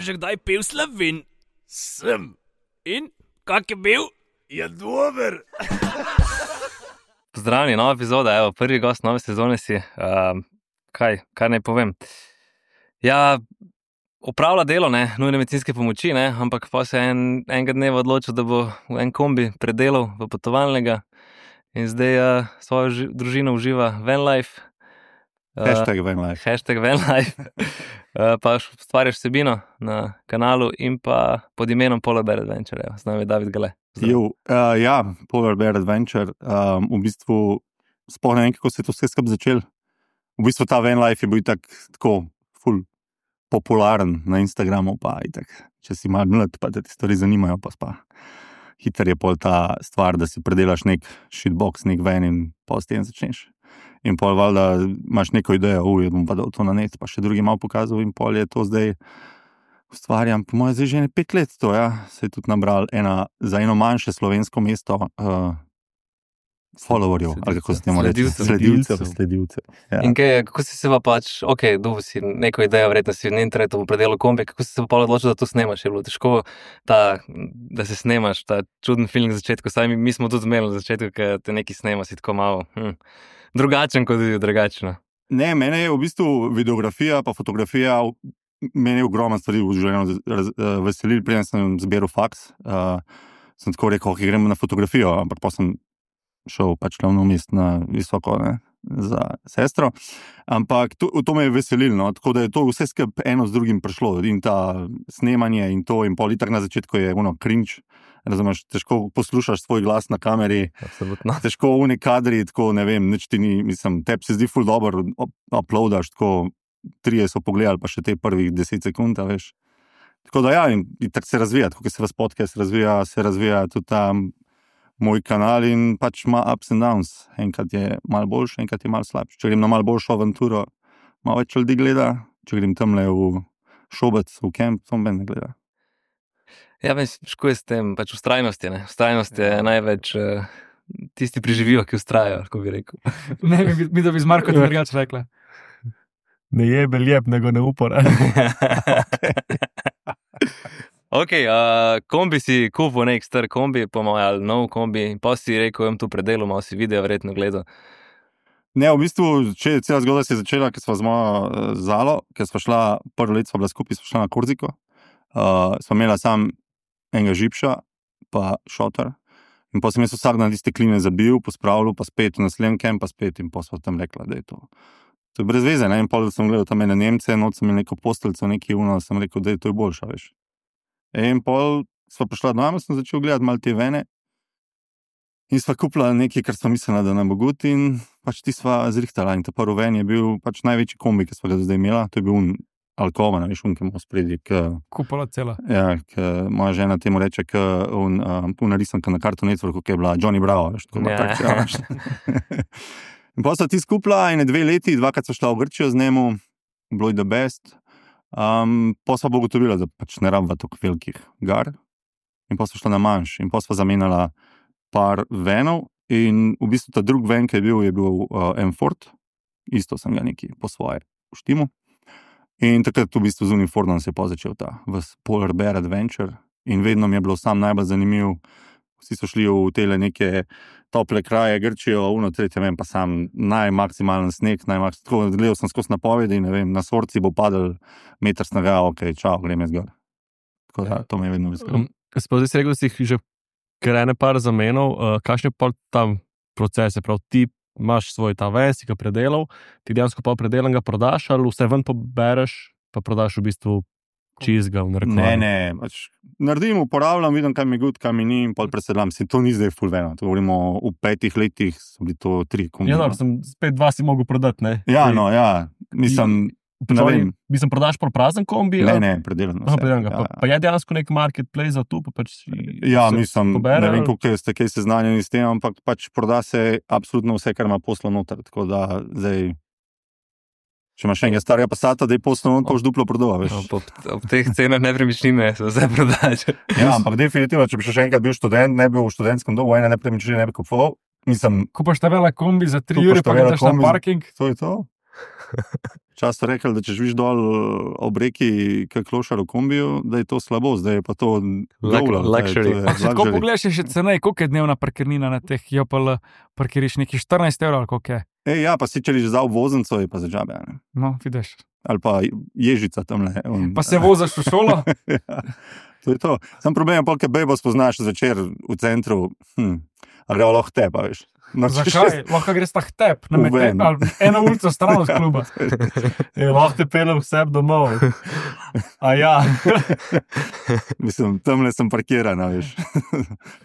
že kdaj pil Slovin? Sem. In? Kak je bil? Je dober. Pozdravljeni, nova epizoda, evo, prvi gost nove sezone si. Kaj naj povem? Ja, opravlja delo, ne, nujne medicinske pomoči, ne, ampak pa se enega dneva odločil, da bo v en kombi predelal v potovalnega in zdaj svojo družino uživa van life. Hashtag van life. Hashtag van life. Pa ustvarjaš vsebino na kanalu in pa pod imenom Polar Bear Adventure, evo, z nami je David Gale. Ja, Polar Bear Adventure, v bistvu sploh ne vem, kako se je to vse skupaj začel. V bistvu ta van life je bil tako ful popularen na Instagramu, pa itak, če si malo mlad, pa da ti stvari zanimajo, pa hiter je pol ta stvar, da si predelaš nek shitbox, nek van in pol s tem začneš. In pol valjda imaš neko idejo, bom pa dal to na net, pa še drugi malo pokazal in pol je to zdaj ustvarjam, po moje zdaj že 5 let to, ja, se je tudi nabral za eno manjše slovensko mesto followerjev, ali kako se temu reči, sledilcev. Ja. In kako si se pa pač, dobil si neko idejo, verjetno si v internetu predelal kombi, kako si se pa odločil, da to snemaš? Je bilo težko da se snemaš, ta čuden film na začetku, saj mi smo tudi imeli na začetku, ker te neki snema, si tako malo drugačen, kot je drugačno. Ne, mene je v bistvu videografija pa fotografija, mene je ogromno stvari v življenju veselil, preden sem zbiral faks, sem tako rekel, gremo na fotografijo, ampak pa sem šel pač glavno mest na visoko, ne, za sestro, ampak to me je veselilo, no, tako da je to vse skupaj eno z drugim prišlo in ta snemanje in to in pol, itak na začetku je cringe, razumeš, težko poslušaš svoj glas na kameri, absolutno. Težko v neki kadri, tako ne vem, nič ti ni, mislim, tebi se zdi ful dobro, uploadaš, tako 3 so pogledali, pa še te prvih 10 sekund, veš. Tako da ja, in tako se razvija, tako kot se vas podcast razvija, se razvija tudi tam moj kanal in pač ima ups and downs. Enkrat je malo boljši, enkrat je malo slabši. Če grem na malo boljšo avanturo, malo več ljudi gleda, če grem tamle v Šobec, v kamp, to me ne gleda. Ja, ško je s tem, pač vztrajnost je, ne? Vztrajnost je največ, tisti preživijo, ki vztrajajo, kako bi rekel. Ne, mi da bi z Marko drugače rekla. Ne jebe lijep, nego ne upora. Kombi si kupil nek star kombi, po mojem, ali nov kombi, pa si rekel, tu predelal, malo si video verjetno gledal. Ne, v bistvu, cela zgodba se je začela, ker sva z mojo Zalo, ker sva šla, prvo leto sva bila skupaj, sva šla na Korziko, sva imela sam enega žipša, pa šotor, in pa sem jaz vsak dan tiste kline zabil, pospravljal, pa spet v naslednjem kamp, pa spet, in pa sva tam rekla, da je to. To je brez veze, ne, in pol sem gledal tam ene Nemce, noč sem imel neko posteljico, neki sem rekel, da je to boljša, veš. In pol sva prišla doma, sem začel gledati malo te vene in sva kupila nekaj, kar sva mislila, da nam bo gut in pač ti sva zrihtala in ta prvi ven je bil pač največji kombi, ki sva ga zdaj imela, to je bil Alcova, veš, ki ima spredi, kupola cela. Ja, moja žena temu reče, narisanka na Cartoon Networku, ki je bila Johnny Bravo, veš, tako Ja. veš. In pa sva ti skupila in 2 leti, 2krat sva šla v Grčijo z njemu, bilo je the best. Pa sva bo ugotovila, da pač ne rabva toliko velikih gar in pa sva šla na manjš in pa sva zamenjala par venov in v bistvu ta drug ven, ki je bil M-Ford, isto sem ga neki po svoje uštimu in takrat v bistvu z unim Fordom se je pa začel ta Polar Bear Adventure in vedno mi je bilo sam najbolj zanimiv, vsi so šli v tele neke tople kraje, Grčijo, tretje, vem, pa sam najmaksimalen sneg, tako gledal sem skozi napovedi, ne vem, na Svorci bo padel meter snega, čau, grem jaz gor. Tako da, to me je vedno veselilo. Zdaj si rekel, da si jih že krene par zamenov, kakšen je pa tam proces, prav ti imaš svoj ta ven, si ga predelal, ti dejansko pa predelan ga prodaš, ali vse ven pobereš, pa prodaš v bistvu čizga v narekovanju? Ne, pač naredim, uporabljam, vidim, kaj mi je good, kaj mi ni in pol presedlam. To ni zdaj full veno, to govorimo v 5 letih, so bili to 3 kombi. Ja, dobro, spet 2 si mogel prodati, ne? Ja, no, ja, mislim, ne vem. Mislim, prodaš prazen kombi? Ne, predelan. Pa je dejansko nek marketplace za to, pa pač ja, mislim, ne vem, koliko ste kaj seznanjeni s tem, ampak pač proda se absolutno vse, kar ima poslo noter, tako da zdaj če imaš enega starega Passata, da je poslovno, koš duplo prodava, veš. Ob teh cenah nepremičnine se vse prodaš. Ja, ampak definitivno, če bi še enkrat bil študent, ne bil v študentskem domu, nepremičnine ne bi kupoval. Kupaš ta vela kombi za 3 ure, pa gledaš na parking. To je to. Čas so rekli, da če živiš dol ob reki, kak klošar v kombiju, da je to slabo, zdaj je pa to luxury. Ko pogledaš, je še cenej, koliko je dnevna parkirnina na teh JPL parkiriš, neki 14 € ali koliko je. Ja, pa si če za obvoznico je pa za džabe. Ne? No, vidiš. Ali pa ježica tamle. Pa se vozaš v šolo? Ja, to je to. Sam problem je, polke bejbo spoznaš zvečer v centru, a gremo lahko te, pa veš. No, zakaj? Lahko greš tak tep, eno ulico stran od kluba. Lahko te pelem vseb domov. A ja. Mislim, tamle sem parkirana, veš.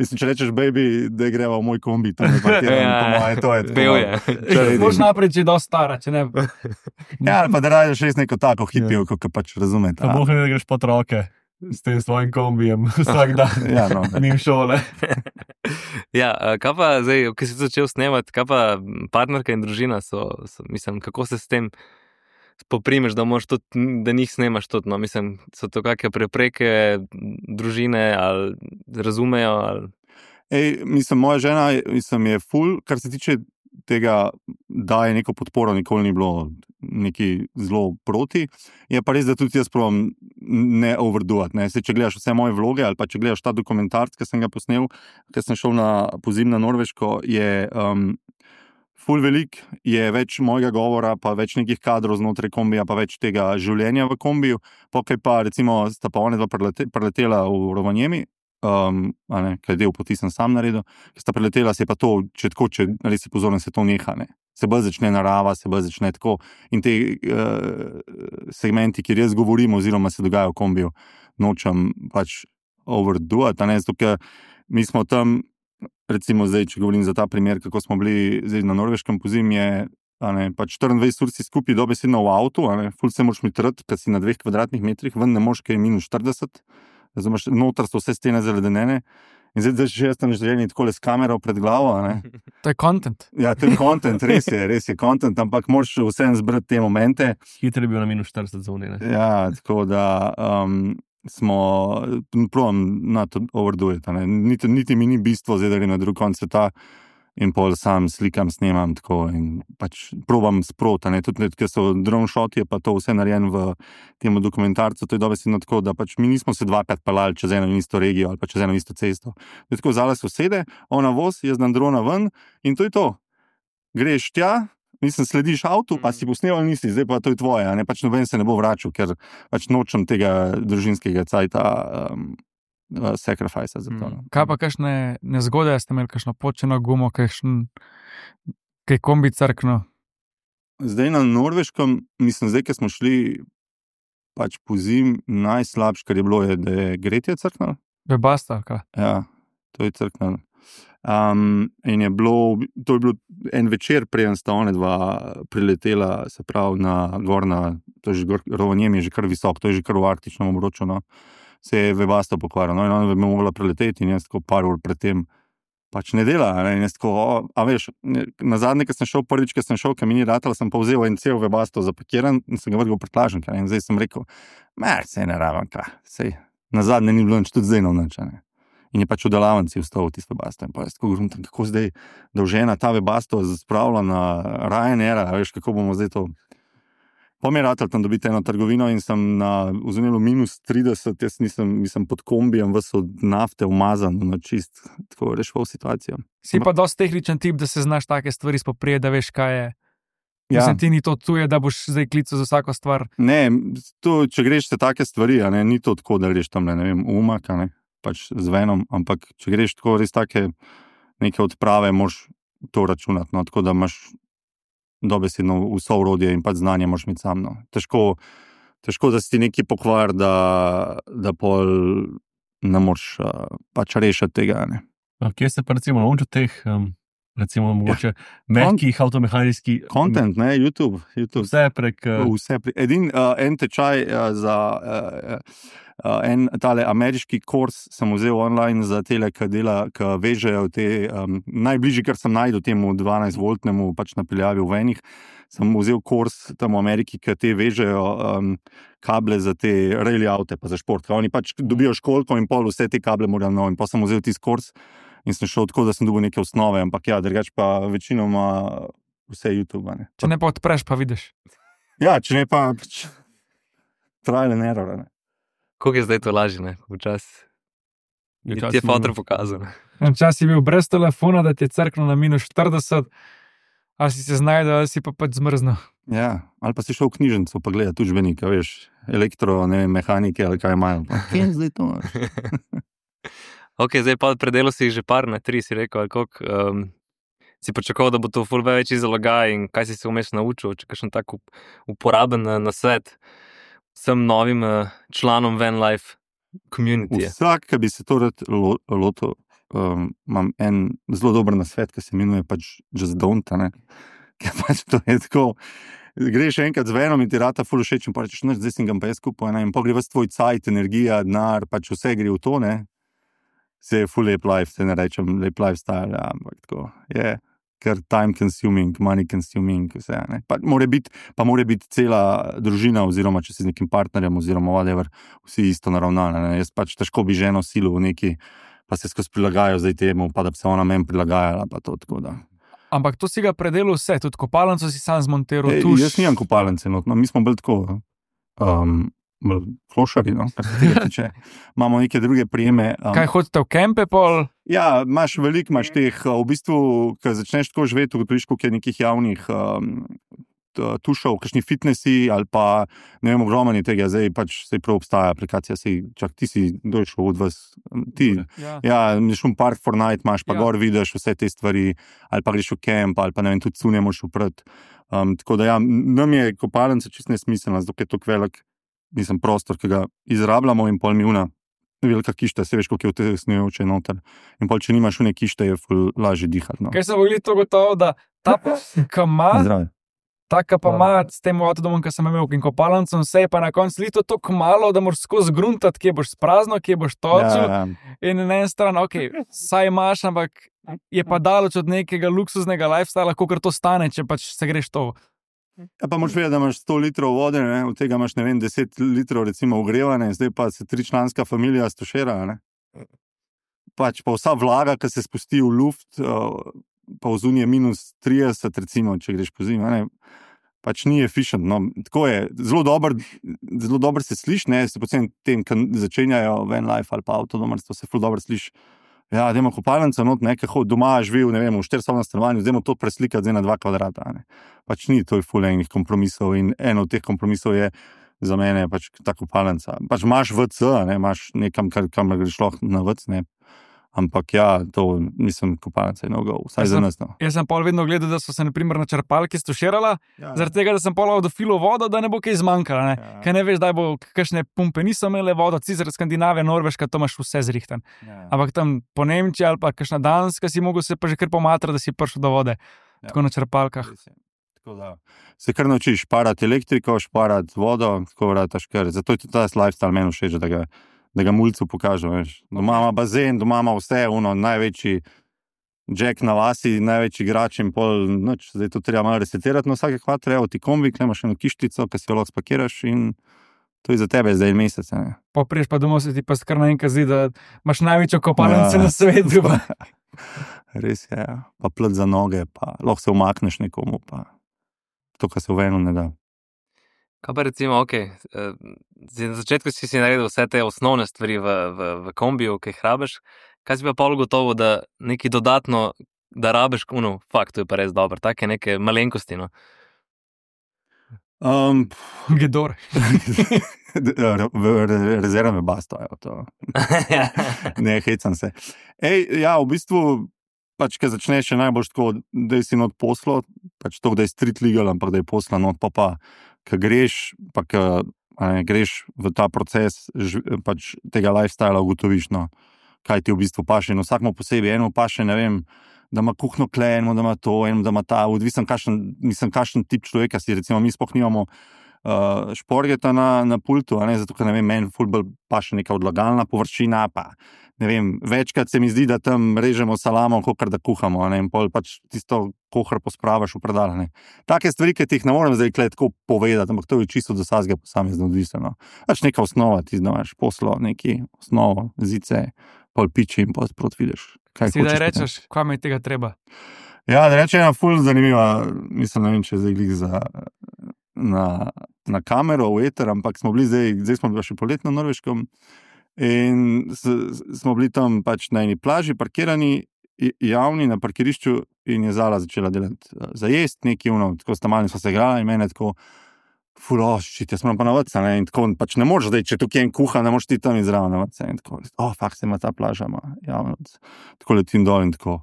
Mislim, če rečeš, baby, da greva v moj kombi, tam je parkirana, po moje, to je. Bil je. Moš naprej, če je dosti stara, če ne. Ja, pa da radiš res neko tako hipijo, kot pač razumete. Pa boh ne da greš pod roke s tem svojim kombijem vsak dan. Ja, no. Ni v šole. Ja, kaj pa zdaj, ko si začel snemati, kaj pa partnerka in družina mislim, kako se s tem poprimeš, da moraš tudi, da njih snemaš tudi, no, mislim, so to kakšne prepreke družine, ali razumejo, ali... Mislim, moja žena, je ful, kar se tiče tega, daje neko podporo, nikoli ni bilo neki zelo proti. Je pa res, da tudi jaz probam ne overdoati. Če gledaš vse moje vloge ali pa če gledaš ta dokumentarc, ki sem ga posnel, ker sem šel na pozim na Norveško, je ful velik, je več mojega govora, pa več nekih kadrov znotraj kombija, pa več tega življenja v kombiju. Pokaj pa recimo sta pa one dva preletela v Rovaniemi, kaj je del poti sem sam naredil, ki sta preletela, se je pa to, če res si pozoren, se to neha, ne. Se bolj začne narava, se bolj začne tako in te segmenti, kjer jaz govorim oziroma se dogaja v kombiju, nočem pač overdoati, zato ker mi smo tam, recimo zdaj, če govorim za ta primer, kako smo bili zdaj na norveškem pozim, je pač 24 ur si skupaj dobesedno v avtu, ful se moraš mitrati, ker si na 2 kvadratnih metrih, ven ne moš, ker je -40, razumeš, noter so vse stene zaledenene in zdaj že jaz tam želeni takole s kamero pred glavo. To je content. Ja, to je content, res je content, ampak moraš vsem zbrati te momente. Hitro je bil na -40 zoni, ne? Ja, tako da smo, probam na to overdujeti, niti mi ni bistvo zdaj, da gre na drug konc sveta in pol sam slikam, snemam tako in pač probam sproti, tudi ker so drone shoti, je pa to vse narejen v tem dokumentarcu, to je dobesedno tako, da pač mi nismo se dvakrat pelali čez eno in isto regijo ali pa čez eno isto cesto. To je tako, vzala sosede, ona voz, jaz dam drona ven in to je to. Greš tja, slediš avtu, pa si posneval nisi, zdaj pa to je tvoje, pač noben se ne bo vračal, ker pač nočem tega družinskega cajta sacrifice za to. Kaj pa kakšne nezgode, ste imeli kakšno počeno gumo, kaj kombi crkno? Zdaj na Norveškem, mislim, zdaj, ker smo šli pač po zim, najslabše, kar je bilo, je, da je gretje crknilo. Webasto, ali kaj? Ja, to je crknilo. In je bilo, to je bilo en večer, preden sta one dva priletela, se pravi, to je že Rovaniemi, je že kar visok, to je že kar v arktičnem obroču, no. Se je Webasto pokvaril, in ona bi mogla preleteti in jaz tako par ur predtem pač ne dela, in jaz tako, a veš, na zadnje, prvič, ko sem šel, ker mi ni ratalo, sem pa vzel en cel Webasto zapakiran in sem ga vrgal prtlažnik, in zdaj sem rekel, sej ne rabim, sej, na zadnje ni bilo nič, tudi zdaj nič, in je pač v delavnici vstal v tisto Webasto in pa jaz tako govorim, kako zdaj dolžena ta Webasto spravila na Ryanair, veš, kako bomo zdaj to. Pa mi je ratal tam dobiti eno trgovino in sem na vzemelu -30, jaz nisem pod kombijem, ves od nafte umazan, čist, tako rešval situacijo. Si pa dosti tehničen tip, da se znaš take stvari spoprijeti, da veš, kaj je. Ja. Mislim, ti ni to tuje, da boš zdaj klical za vsako stvar. Ne, to, če greš te take stvari, ni to tako, da greš tam, ne vem, umak, pač z venom, ampak če greš tako res take neke odprave, moraš to računati, no, tako da imaš dobesedno vso orodje in pač znanje moraš imeti sam, no. Težko, da si ti neki pokvar, da pol ne moraš pač rešiti tega, ne. Kje se pa recimo naučil teh, recimo mogoče mehkih avtomehanijskih... Content, ne, YouTube. Vse prek... En tečaj za en tale ameriški kurs sem vzel online za tele, ki vežejo te, najbližji, kar sem najdel temu 12-voltnemu pač napeljavi v venih, sem vzel kurs tam v Ameriki, ki te vežejo kable za te rally avte pa za šport. Oni pač dobijo školko in pol vse te kable morajo in pa sem vzel tisti kurs in sem šel tako, da sem dobil neke osnove, ampak ja, drugač pa večinoma vse YouTube. Ne. Če ne pa odpreš, pa vidiš. Ja, če ne pa trial and error. Ne. Koliko je zdaj to lažje, ne? Včasih. Ja, Ti je fotor pokazal. Včasih je bil brez telefona, da ti je crknil na -40, ali si se znajdel, ali si pa pač zmrznil. Ja, ali pa si šel v knjižnico pa gledati učbenika, veš, elektro, ne vem, mehanike ali kaj imajo. Kje je zdaj to? Ok, zdaj pa predelo si jih že par, ne 3 si rekel, ali koliko. Si pričakoval, da bo to ful večji zalogaj in kaj si se vmes naučil, če kakšen tak uporaben na svet vsem novim članom Van Life community. Vsak, ki bi se to rad lotil, imam en zelo dober nasvet, ki se imenuje pač Just Don't, ne? Ker pač to je tako, greš enkrat z Venom in ti rata ful všeč in pa rečeš, zdaj sem ga pa jaz skupaj, ne? In pa gre vas tvoj cajt, energija, denar, pač vse gre v to, ne? Se je full lep life, se ne rečem lep lifestyle, ja, ampak tako je, ker time consuming, money consuming, vse, ne. Pa mora biti cela družina, oziroma če si z nekim partnerjem, oziroma whatever, vsi isto naravnane, ne. Jaz pač težko bi ženo silo v neki, pa se skozi prilagajajo zdaj temu, pa da bi se ona meni prilagajala, pa to tako da. Ampak to si ga predelal vse, tudi kopalnico si sam zmontiral. Jaz nimam kopalnice, no, mi smo bolj tako, klošari, no, kar se tega tiče. Imamo neke druge prijeme. Kaj hodite v kempe pol? Ja, imaš teh, v bistvu, ko začneš tako živeti, ugotoviš, koliko je nekih javnih tušov, kakšni fitnesi ali pa, ne vem, ogromni tega, zdaj pač se prav obstaja aplikacija, ti si došel od vas, ja, šum Park for Night imaš, pa gor vidiš vse te stvari, ali pa greš v kemp, ali pa ne vem, tudi cunje moš uprat. Tako da ja, nam je kopalnica čisto nesmiselna, zato je to velik, prostor, ki ga izrabljamo in pol mi velika kišta, se veš, koliko je v te snujoče noter. In pol, če nimaš une kište, je ful lažje dihati. No. Kaj se bo glih to gotovo, da ta kama, ta pa s tem avtodomom, ki sem imel in kopalnicom, vse je pa na koncu lito tako malo, da moraš skozi gruntati, kje boš sprazno, kje boš točil. Ja. In na eni strani, ok, saj imaš, ampak je pa daleč od nekega luksuznega lifestyla, kolikor to stane, če pač se greš to. Ja, pa moraš vedeti, da imaš 100 litrov vode, ne? Od tega imaš, ne vem, 10 litrov recimo ogrevane, zdaj pa se 3-članska familija stošera, ne? Pač pa vsa vlaga, ki se spusti v luft, pa v zunije -30, recimo, če greš po zimi, ne? Pač ni efficient, no, tako je, zelo dobro se sliši, ne, se poceni tem, ki začenjajo van life ali pa avtodomarstvo, se ful dobro sliši. Ja, dajmo kopalnico not, nekaj doma živi, ne vem, v 4-sobnem stanovanju, dajmo to preslikati zdaj na 2 kvadrata, ne. Pač ni to ful enih kompromisov in eno od teh kompromisov je za mene pač ta kopalnica. Pač imaš WC, ne, imaš nekam, kamor greš lahko na WC, ne. Ampak ja, to kopalnica je no-go, vsaj za nas. No. Jaz sem pol vedno gledal, da so se na primer na črpalki stoširala, zaradi tega, da sem pol dofilil vodo, da ne bo kaj zmanjkalo, ne. Ja. Kaj ne veš, da bo kakšne pumpe niso imele vodo, Cizer, Skandinavija, Norveška, to imaš vse zrihten. Ja. Ampak tam po Nemčiji ali pa kakšna Danska si mogel se pa že kar pomatrati, da si prišel do vode, tako na črpalkah. Tako da se kar naučiš šparati elektriko, šparati vodo, tako vrataš kar. Zato je tudi ta lifestyle meni všeč, da ga mulcu pokažem, veš. Doma ima bazen, doma ima vse, največji jack na vasi, največji igrač in pol, noč, zdaj to treba malo resetirati, no vsake kvatre, evo ti kombik, imaš eno kištico, ki si jo lahko spakiraš in to je za tebe zdaj mesec, ne. Popriješ pa domov, se ti pa kar naenkrat zdi, da imaš največjo kopalnico na svetu. Res je, ja. Pa plet za noge, pa lahko se umakneš nekomu, pa to, kar se v eno ne da. Kaj pa recimo, ok, na začetku si naredil vse te osnovne stvari v kombiju, ki jih rabiš, kaj si pa pol gotovo, da nekaj dodatno, da rabiš, fakt, to je pa res dobro, take neke malenkosti, no? Gedor. Rezervne bastajo, to. Ne, hecam se. Ja, v bistvu, pač, ko začneš še najbolj tako, da si not poslo, pač to, da je street legal, ampak da je posla not, pa ko greš, pa ko greš v ta proces pač tega lifestyla, ugotoviš, no, kaj ti v bistvu paše. In vsakmo posebej, eno paše, ne vem, da ima kuhno kle, eno da ima to, eno da ima ta, odvisen kakšen tip človeka si, recimo mi sploh nimamo šporgeta na pultu, zato ker, ne vem, meni ful bolj paše neka odlagalna površina, pa ne vem, večkrat se mi zdi, da tam režemo salamo, kakor da kuhamo, in pol pač tisto kohar pospravaš v predal, ne. Take stvari, ki ti jih ne morem zdaj tako povedati, ampak to je čisto do vsakega posamezno odvisno. Pač neka osnova, ti znaš poslo, neki osnovo, zice, pol piči in pol sprot vidiš. Si da rečeš, kaj mi je tega treba? Ja, da rečem, ful zanimiva, mislim, ne vem, če zdaj glih na kamero, v eter, ampak smo bili zdaj smo bili še poleti na Norveškem in smo bili tam pač na eni plaži, parkirani, javni na parkirišču in je Zala začela delati za jest, neki tako sta malni smo se igrala in mene tako šit, jaz moram pa na vrtca, ne, in tako pač ne moreš zdaj, če tukaj en kuha, ne moreš ti tam izraven na vrtca in tako, fakt se ima ta plaža, javno, tako letim dol in tako,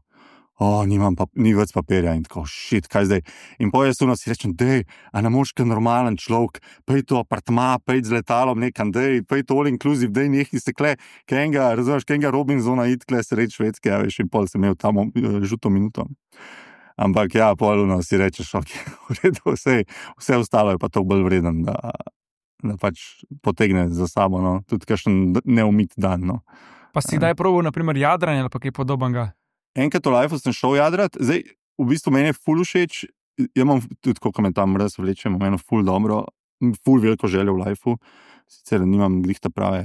ni več papirja in tako, šit, kaj zdaj? In potem jaz si rečem, dej, a ne moš kaj normalen človek, pej to apartma, pej z letalom nekam, dej, pej to all inclusive, dej nekaj stekle, razumeš, kenga Robinsona itkle sred Švedske, ja, veš, in pol sem imel tam žuto minuto. Ampak ja, polno si rečeš, v redu, vse ostalo je pa to bolj vreden, da pač potegne za sabo, no, tudi kakšen neumit dan, no. Pa si kdaj probal, naprimer, jadranje ali pa kaj podobnega? Enkrat v lifeu sem šel jadrat, zdaj v bistvu meni je ful všeč, jaz imam tudi, koliko me tam res vleče, imam eno ful dobro, ful veliko željo v lifeu, sicer nimam glihta prave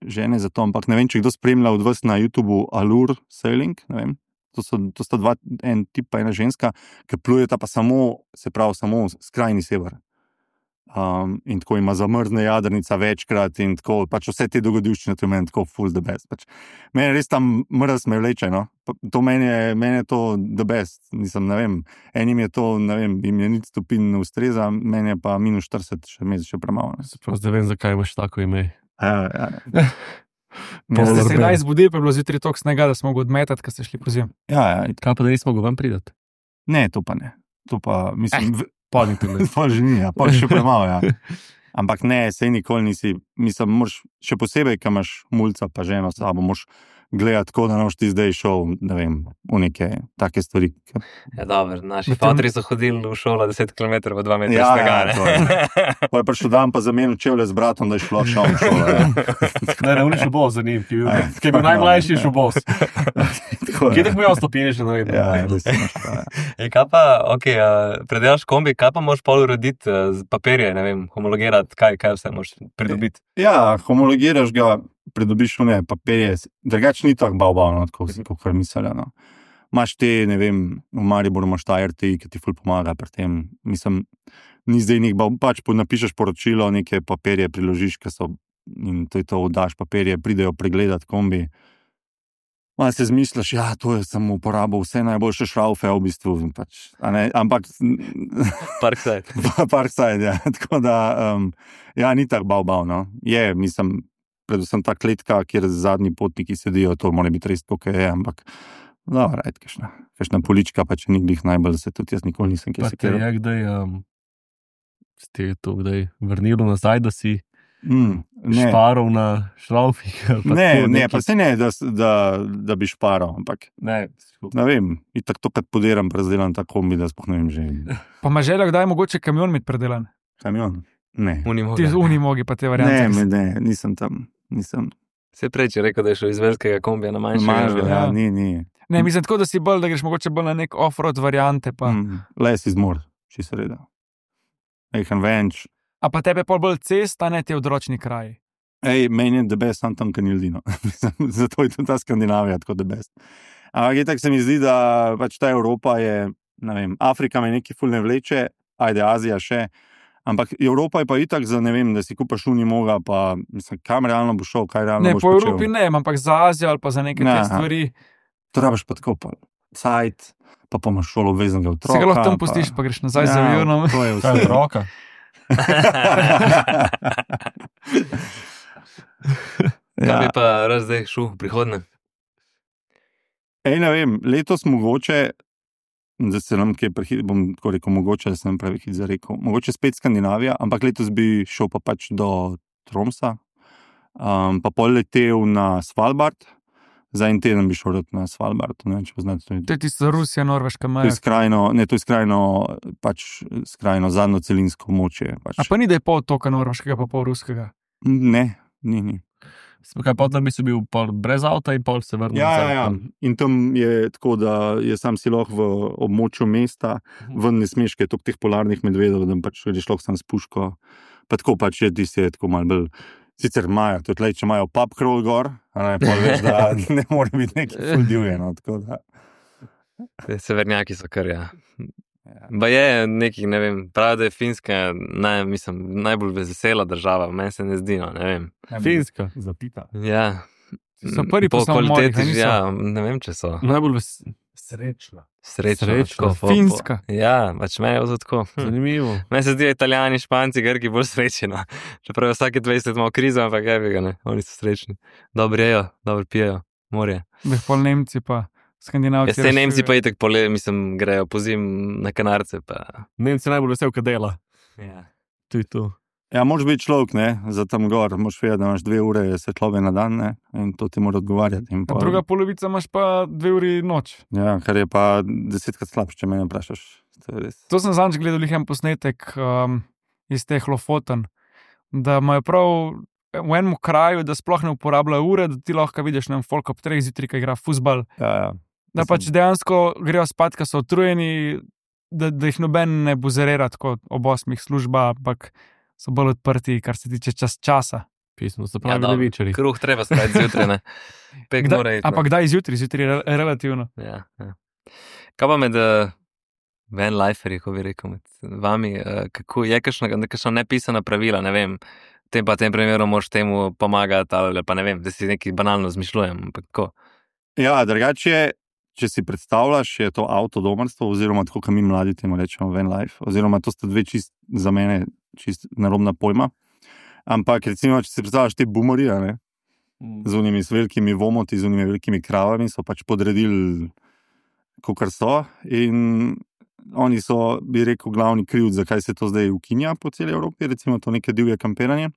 žene za to, ampak ne vem, če kdo spremlja od vas na YouTubeu Allure Sailing, ne vem, to sta dva, en tip pa ena ženska, ki plujeta pa samo skrajni sever. In tako ima zamrzne jadrnica večkrat in tako, pač vse te dogodivščine, to je meni tako full the best. Pač, meni res tam mrz me vleče, no. To meni je to the best. Nisem, ne vem, enim je to, ne vem, jim je nič stopin ne ustreza, meni je pa -40 še premalo. Zdaj vem, zakaj imaš tako ime. Ja. Ste se kdaj zbudili, pa je bilo zjutraj toliko snega, da smo mogli odmetati, ko ste šli po zim? Ja. Kaj pa da nismo mogli ven pridati? Ne, to pa ne. To pa, mislim... Pol že ni, pol še premalo, ja. Ampak ne, sej nikoli nisi, mislim, moraš, še posebej, ko imaš mulca pa ženo s sabo, moraš gledati tako, da ne boš ti zdaj šel, ne vem, v neke take stvari. Ja, dobro, naši fotri so hodili v šolo 10 km v 2 metra snega. Ja, pa je prišel dan pa zamenil čevlje z bratom, da je šlo šel v šolo. Ne, on je šel bos za njim, ki je bil najmlajši šel bos. Kje tako imel stopinje še navedno? Ja, da si imaš pa, ja. Kaj pa, predelaš kombi, kaj pa moraš pol urediti z papirje, ne vem, homologirati, kaj vse moraš pridobiti? Ja, homologiraš ga, pridobiš papirje, drugač ni tako bavbavno, kot mislijo, no. Imaš te, ne vem, v Mariboru imaš ta RTI, ki ti ful pomaga pri tem, mislim, ni zdaj nek pač napišeš poročilo, neke papirje priložiš, in to je to, daš papirje, pridejo pregledati kombi. Malo se zmišljaš, ja, to je samo uporabil vse najboljše šraufe, v bistvu, pač, ampak... Parkside, ja, tako da, ja, ni tako bavbavno, je, mislim, predvsem ta kletka, kjer zadnji potniki sedijo, to mora biti res tako, je, ampak dobro, kakšna polička, pa če ni glih najbolj, da se tudi jaz nikoli nisem kjer sekiral. Pa te je kdaj, ste to kdaj vrnili nazaj, da si šparov na šraufih? Ne, pa se ne, da bi šparov, ampak ne vem, itak to, kad poderam prezdelan ta kombi, da spoh ne vem že. Pa ima želja, kdaj je mogoče kamion imeti predelan? Kamion? Ne. Ti z unimogi pa te variante? Ne, nisem tam. Se prej, če rekel, da je šel iz velikega kombija na manjšega. Ja, ni. Ne, mislim tako, da si bolj, da greš mogoče bolj na nek off-road variante. Pa. Les iz mor, čisto reda. Ejhan venč. A pa tebe bolj cesta, ne te odročni kraji? Meni je the best, tam ni ljudino. Zato je tudi ta Skandinavija tako the best. Ampak tako se mi zdi, da pač ta Evropa je, ne vem, Afrika me neki ful ne vleče, ajde Azija še, ampak Evropa je pa itak za, ne vem, da si kupaš unimoga, pa mislim, kam realno bo šel, kaj realno boš počel. Ne, po Evropi ne, ampak za Azijo ali pa za neke te stvari. To rabiš pa tako, pa cajt, pa imaš šolo obveznega otroka. Se ga lahko tam pustiš, pa greš nazaj za avionom. To je vse. Otroka. Kaj bi pa zdaj šel v prihodnje? Ne vem, letos mogoče, da se nam kaj bom tako rekel, mogoče, da se nam pravi hit zarekel, mogoče spet Skandinavija, ampak letos bi šel pa pač do Tromsa, pa pol letel na Svalbard, za en teden bi šel na Svalbard, ne vem, če poznate to. To je tisto Rusija, Norveška, Maja. To je skrajno zadnjo celinsko območje. Pač. A pa ni, da je pol toka norveškega, pa pol ruskega? Ne, ni. Kaj potem bi se bil pol brez avta in pol se vrnil? Ja. In tam je tako, da je sam si lahko v območju mesta, ven ne smeš, kaj je teh polarnih medvedov, da pač greš lahko sam s puško. Pa tako pač je, ti se je tako malo bolj, sicer imajo, to je tlej, če imajo pub crawl gor, pol veš, da ne more biti nekaj ful divjeno, tako da. Severnjaki so kar, ja. Ba je nekih, ne vem, pravi, da je Finska najbolj vesela država, meni se ne zdi, no, ne vem. Finska. Zapita. Ja. So prvi po po samomorih, kvaliteti, niso? ja, ne vem, če so. Najbolj Srečna. Srečno. Finska. Ja, pač meni je to tako. zanimivo. Meni se zdijo Italijani, Španci, Grki bolj srečni. No. Čeprav je vsake 20 let malo krizo, ampak ga ne, oni so srečni. Dobro jejo, dobro pijejo, morje. Bih pol Nemci pa Skandinavci. Jaz te Nemci pa itek grejo po zim na Kanarce. Pa. Nemci najbolj vesel, kad dela. Ja. To je to. Ja, moraš biti človek, ne, za tam gor, moraš vedeti, da imaš 2 ure svetlobe na dan, ne, in to ti mora odgovarjati. In pa, Druga polovica imaš pa 2 uri noč. Ja, kar je pa 10-krat slabše, če me vprašaš. To je res. To sem zadnjič gledal en posnetek iz teh Lofoten, da imajo prav v enem kraju, da sploh ne uporabljajo ure, da ti lahko vidiš nam folk ob 3 zjutraj, ki igra fuzbal. Ja. Da pač dejansko grejo spat, ker so utrujeni, da jih noben ne buzerira tako ob 8 služba, ampak so bolj odprti, kar se tiče časa. Pismo, se pravi, dobro, levičari. Kruh treba spati zjutraj, ne. Pek mora iti. Ampak kdaj zjutraj je relativno. Ja. Kaj pa med van liferji, ko bi rekel, med vami, kako je kakšna nepisana pravila, ne vem, tem primeru moraš temu pomagati, ali pa ne vem, da si nekaj banalno zmišljujem, ampak kako? Ja, drugače, če si predstavljaš, je to avtodomarstvo, oziroma tako, kot mi mladi temu rečemo, van life, oziroma to sta dve za mene čist narobna pojma. Ampak recimo, če si predstavljaš te boomerje, ne, z unimi velikimi vomoti, z unimi velikimi kravami, so pač podredili, kakor so, in oni so, bi rekel, glavni krivci, zakaj se to zdaj ukinja po celi Evropi, recimo to neke divje kampiranje.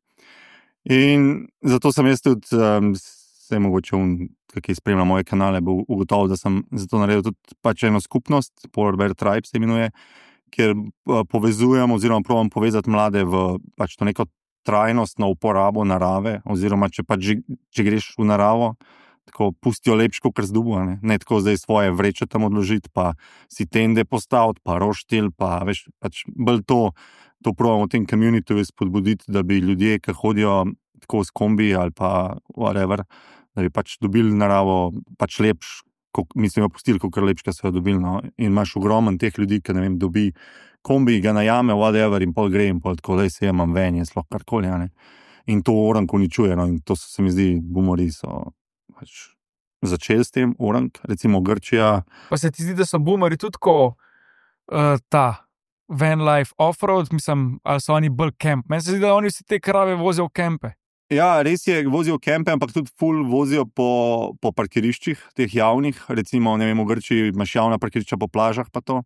In zato sem jaz tudi, se mogoče ki spremlja moje kanale, bo ugotovil, da sem zato naredil tudi pač eno skupnost, Polar Bear Tribe se imenuje, kjer povezujem oziroma probam povezati mlade v pač to neko trajnostno uporabo narave, oziroma če greš v naravo, tako pustijo lepško, kar zdubo, ne tako zdaj svoje vreče tam odložiti, pa si tende postaviti, pa roštilj, pa veš, pač bolj to probam v tem communityju spodbuditi, da bi ljudje, ki hodijo tako s kombi ali pa whatever, da bi pač dobili naravo pač lepš, mislim, opustili, kakor lepška so jo dobili, no. In imaš ogromen teh ljudi, ki, ne vem, dobi kombi, ga najame, whatever, in pol gre, in pol tako, da se jemam ven, je sploh karkoli, ne. In to orang uničuje, no, in to se mi zdi, boomeri so pač začeli s tem, orang, recimo Grčija. Pa se ti zdi, da so boomeri tudi tako ta van life off-road, mislim, ali so oni bolj camp? Meni se zdi, da oni vsi te krave vozijo v kempe. Ja, res je, vozijo v kempe, ampak tudi ful vozijo po parkiriščih, teh javnih, recimo, ne vem, v Grčiji imaš javna parkirišča po plažah, pa to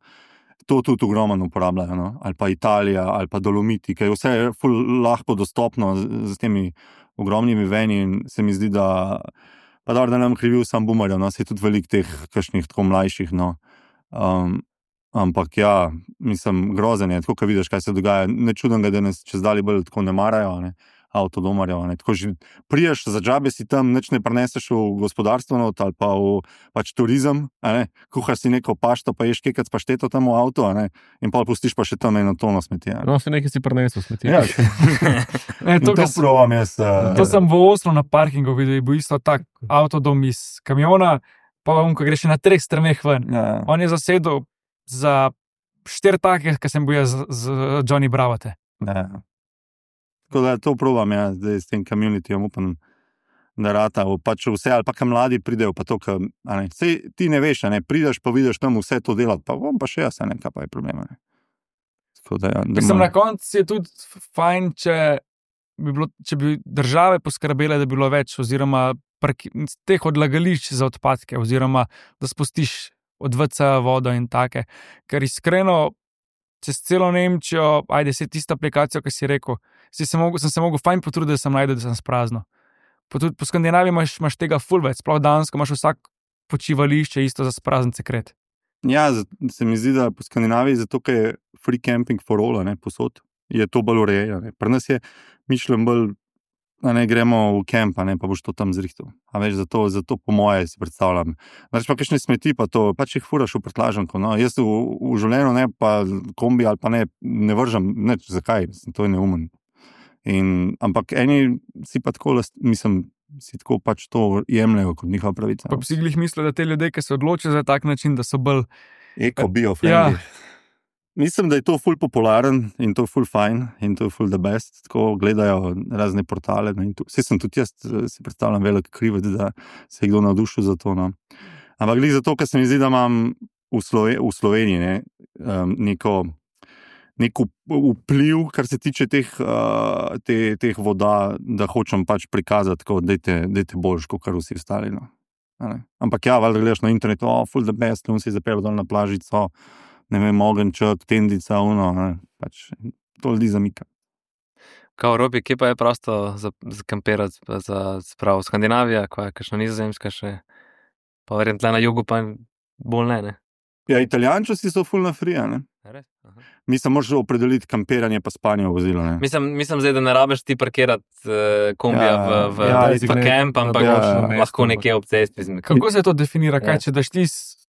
tudi ogromno uporabljajo, no? Ali pa Italija, ali pa Dolomiti, ker je vse ful lahko dostopno z temi ogromnimi veni, in se mi zdi, da pa dobro, da nam krivil sam boomerjev, no, se je tudi veliko teh kakšnih tako mlajših, no. Ampak ja, mislim, grozen je, tako, ko vidiš, kaj se dogaja, ne čudem ga, da nas čez dalje bolj tako ne marajo, ne, avtodomarjev, ne, tako že priješ, za džabe si tam, nič ne preneseš v gospodarstvo not, ali pa v pač turizem, ne, kuhaš si neko pašto, pa ješ kekac pašteto tam v avto, ne, in pa pustiš pa še tam eno tono smeti. No, si nekaj si prenesel smeti. Ja, to provam jaz. To sem v Oslu na parkingu videl, bo isto tak avtodom iz kamiona, pa ko greš na 3 straneh ven. Ja. On je zasedel za 4 take, ki sem bil jaz z Johnny Bravate. Ja. Tako da to provam, ja, zdaj s tem communityjem, upam, da rata, pač vse, ali pa kam mladi pridejo, pa to, sej ti ne veš, ne, prideš pa vidiš tam vse to delati, pa bom pa še jaz, ne, kaj pa je problema, ne. Tako da, ja, Mislim, na koncu je tudi fajn, če bi države poskrbele, da bi bilo več, oziroma teh odlagališč za odpadke, oziroma da spustiš od WC vodo in take, ker iskreno čez celo Nemčijo, se tista aplikacija, ki si rekel, sem se mogel fajn potruditi, da sem najdel, da sem sprazno. Tudi po Skandinaviji imaš tega ful več, sploh Dansko imaš vsak počivališče isto za sprazen sekret. Ja, se mi zdi, da po Skandinaviji, zato ker je free camping for all, ne, posod, je to bolj urejeno, ne. Pri nas je mišljen bolj, ne, gremo v kemp, ne, pa boš to tam zrihtal. A veš, zato po moje si predstavljam. Znači pa kakšne smeti, pa to, pač jih furaš v prtlažanko, no. Jaz v življenju, ne, pa kombi ali pa ne vržem, neč, zakaj, to je neumen. Ampak eni si pa tako, mislim, si tako pač to jemljajo kot njihova pravica. Pa bi si glih mislil, da te ljudje, ki se odločijo za tak način, da so bolj Eko-bio-friendly. Mislim, da je to ful popularen in to ful fajn in to je ful the best. Tako gledajo razne portale. Vse sem tudi jaz, si predstavljam velik krivec, da se je kdo navdušil za to. No. Ampak glih zato, ker se mi zdi, da imam v Sloveniji neko vpliv, kar se tiče teh voda, da hočem pač prikazati, dajte boljš, kot kar vsi ostali. No. Ampak ja, valjda gledaš na internetu, full the best, on si zapel dol na plažico, ne vem, ogenček, tendica, pač to ljudi zamika. Kao Robi, kje pa je prosto za kampirati, za spravo Skandinavija, koja je kakšna Nizozemska še, pa verjem tle na jugu pa bolj ne? Ja, Italijančasi so full na free, ne? Res? Aha. Mislim, moraš opredeliti kampiranje pa spanje v vozilu, ne? Mislim zdaj, da ne rabeš ti parkirati kombija v kemp, ampak lahko nekje ob cesti. Kako se to definira? Kaj, če daš ti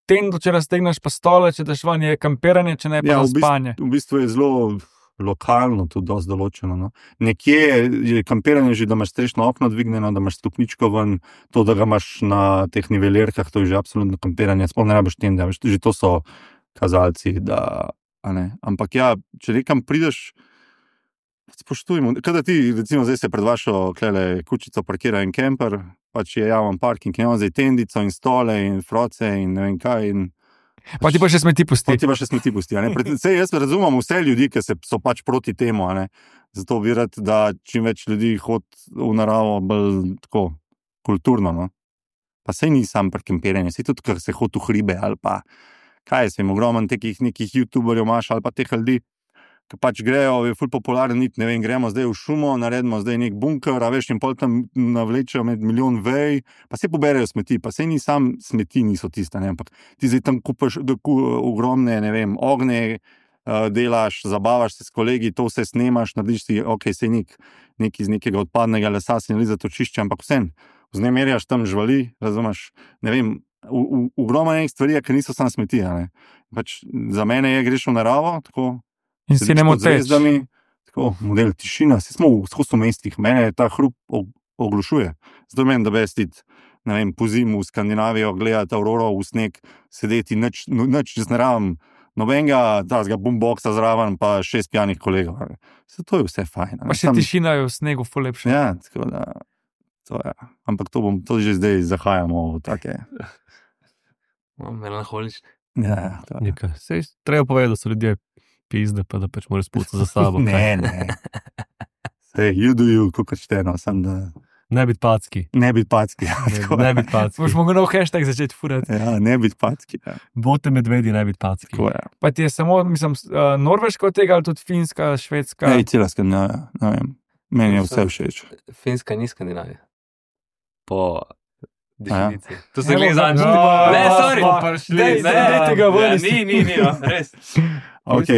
tendo, če raztegneš pa stole, če daš van je kampiranje, če ne pa za spanje? V bistvu je zelo lokalno tudi dosti določeno. No. Nekje je kampiranje že, da imaš strešno okno dvignjeno, da imaš stopničko ven, to, da ga imaš na teh nivelirkah, to je že absolutno kampiranje, sploh ne rabiš tende, že to so kazalci, da, ampak ja, če nekam prideš, spoštujmo, kada ti, recimo zdaj se pred vašo kučico parkira en kemper, pač je javen parking, imamo zdaj tendico in stole in froce in ne vem kaj in pa ti pa še smeti pusti. Sej jaz razumem vse ljudi, ki so pač proti temu, zato bi rad, da čim več ljudi hodi v naravo bolj tako kulturno. No? Pa sej ni sam parkiranje, sej tudi, ker se hodi v hribe ali pa kaj se jim ogromen nekih youtuberjev imaš ali pa teh ljudi, ki pač grejo, je ful popularen nit, ne vem, gremo zdaj v šumo, naredimo zdaj nek bunker, a veš, in pol tam navlečejo med milijon vej, pa se poberejo smeti, pa sej ni sam smeti, niso tiste, ne, ampak ti zdaj tam kupaš ogromne, ne vem, ogne, delaš, zabavaš se s kolegi, to vse snemaš, narediš si, ok, sej nek iz nekega odpadnega lesa si nali za točišče, ampak vsem, vznemerjaš tam živali, razumeš, ne vem, ogromno nekaj stvari, ki niso sam smeti, ne, pač za mene je greš v naravo, tako, in si ne moteč. Tako, model tišina, si smo v mestih, mene ta hrup oglušuje. Zato meni, da bestiti, ne vem, po zimu v Skandinavijo, gledati auroro v sneg, sedeti, nič čez ne rabim, nobenega tazga boomboxa zraven, pa 6 pijanih kolegov. To je vse fajn. Pa še tišina je v snegu ful lepša. Ja, tako da, to je. Ampak to že zdaj zahajamo v take. Melanholične. Ja, to je. Sej, treba povedati, da so ljudje pizde, pa da pač moraš spucati za sabo. Ne. Sej, you do you, kako čteno, sam da... Ne biti packi. Ne biti packi, ja. Ne biti packi. Boš mogel nov hashtag začeti furati. Ja, ne biti packi, ja. Bote medvedi, ne biti packi. Tako je. Pa ti je samo, mislim, Norveška od tega, ali tudi Finska, Švedska? Ej, cela Skandinavija, ne vem. Meni je vse všeč. Finska ni Skandinavija. Po definiciji. To se gleda No, zanj. Ne, sorry. Dej tega ven. Ni, res. Ok.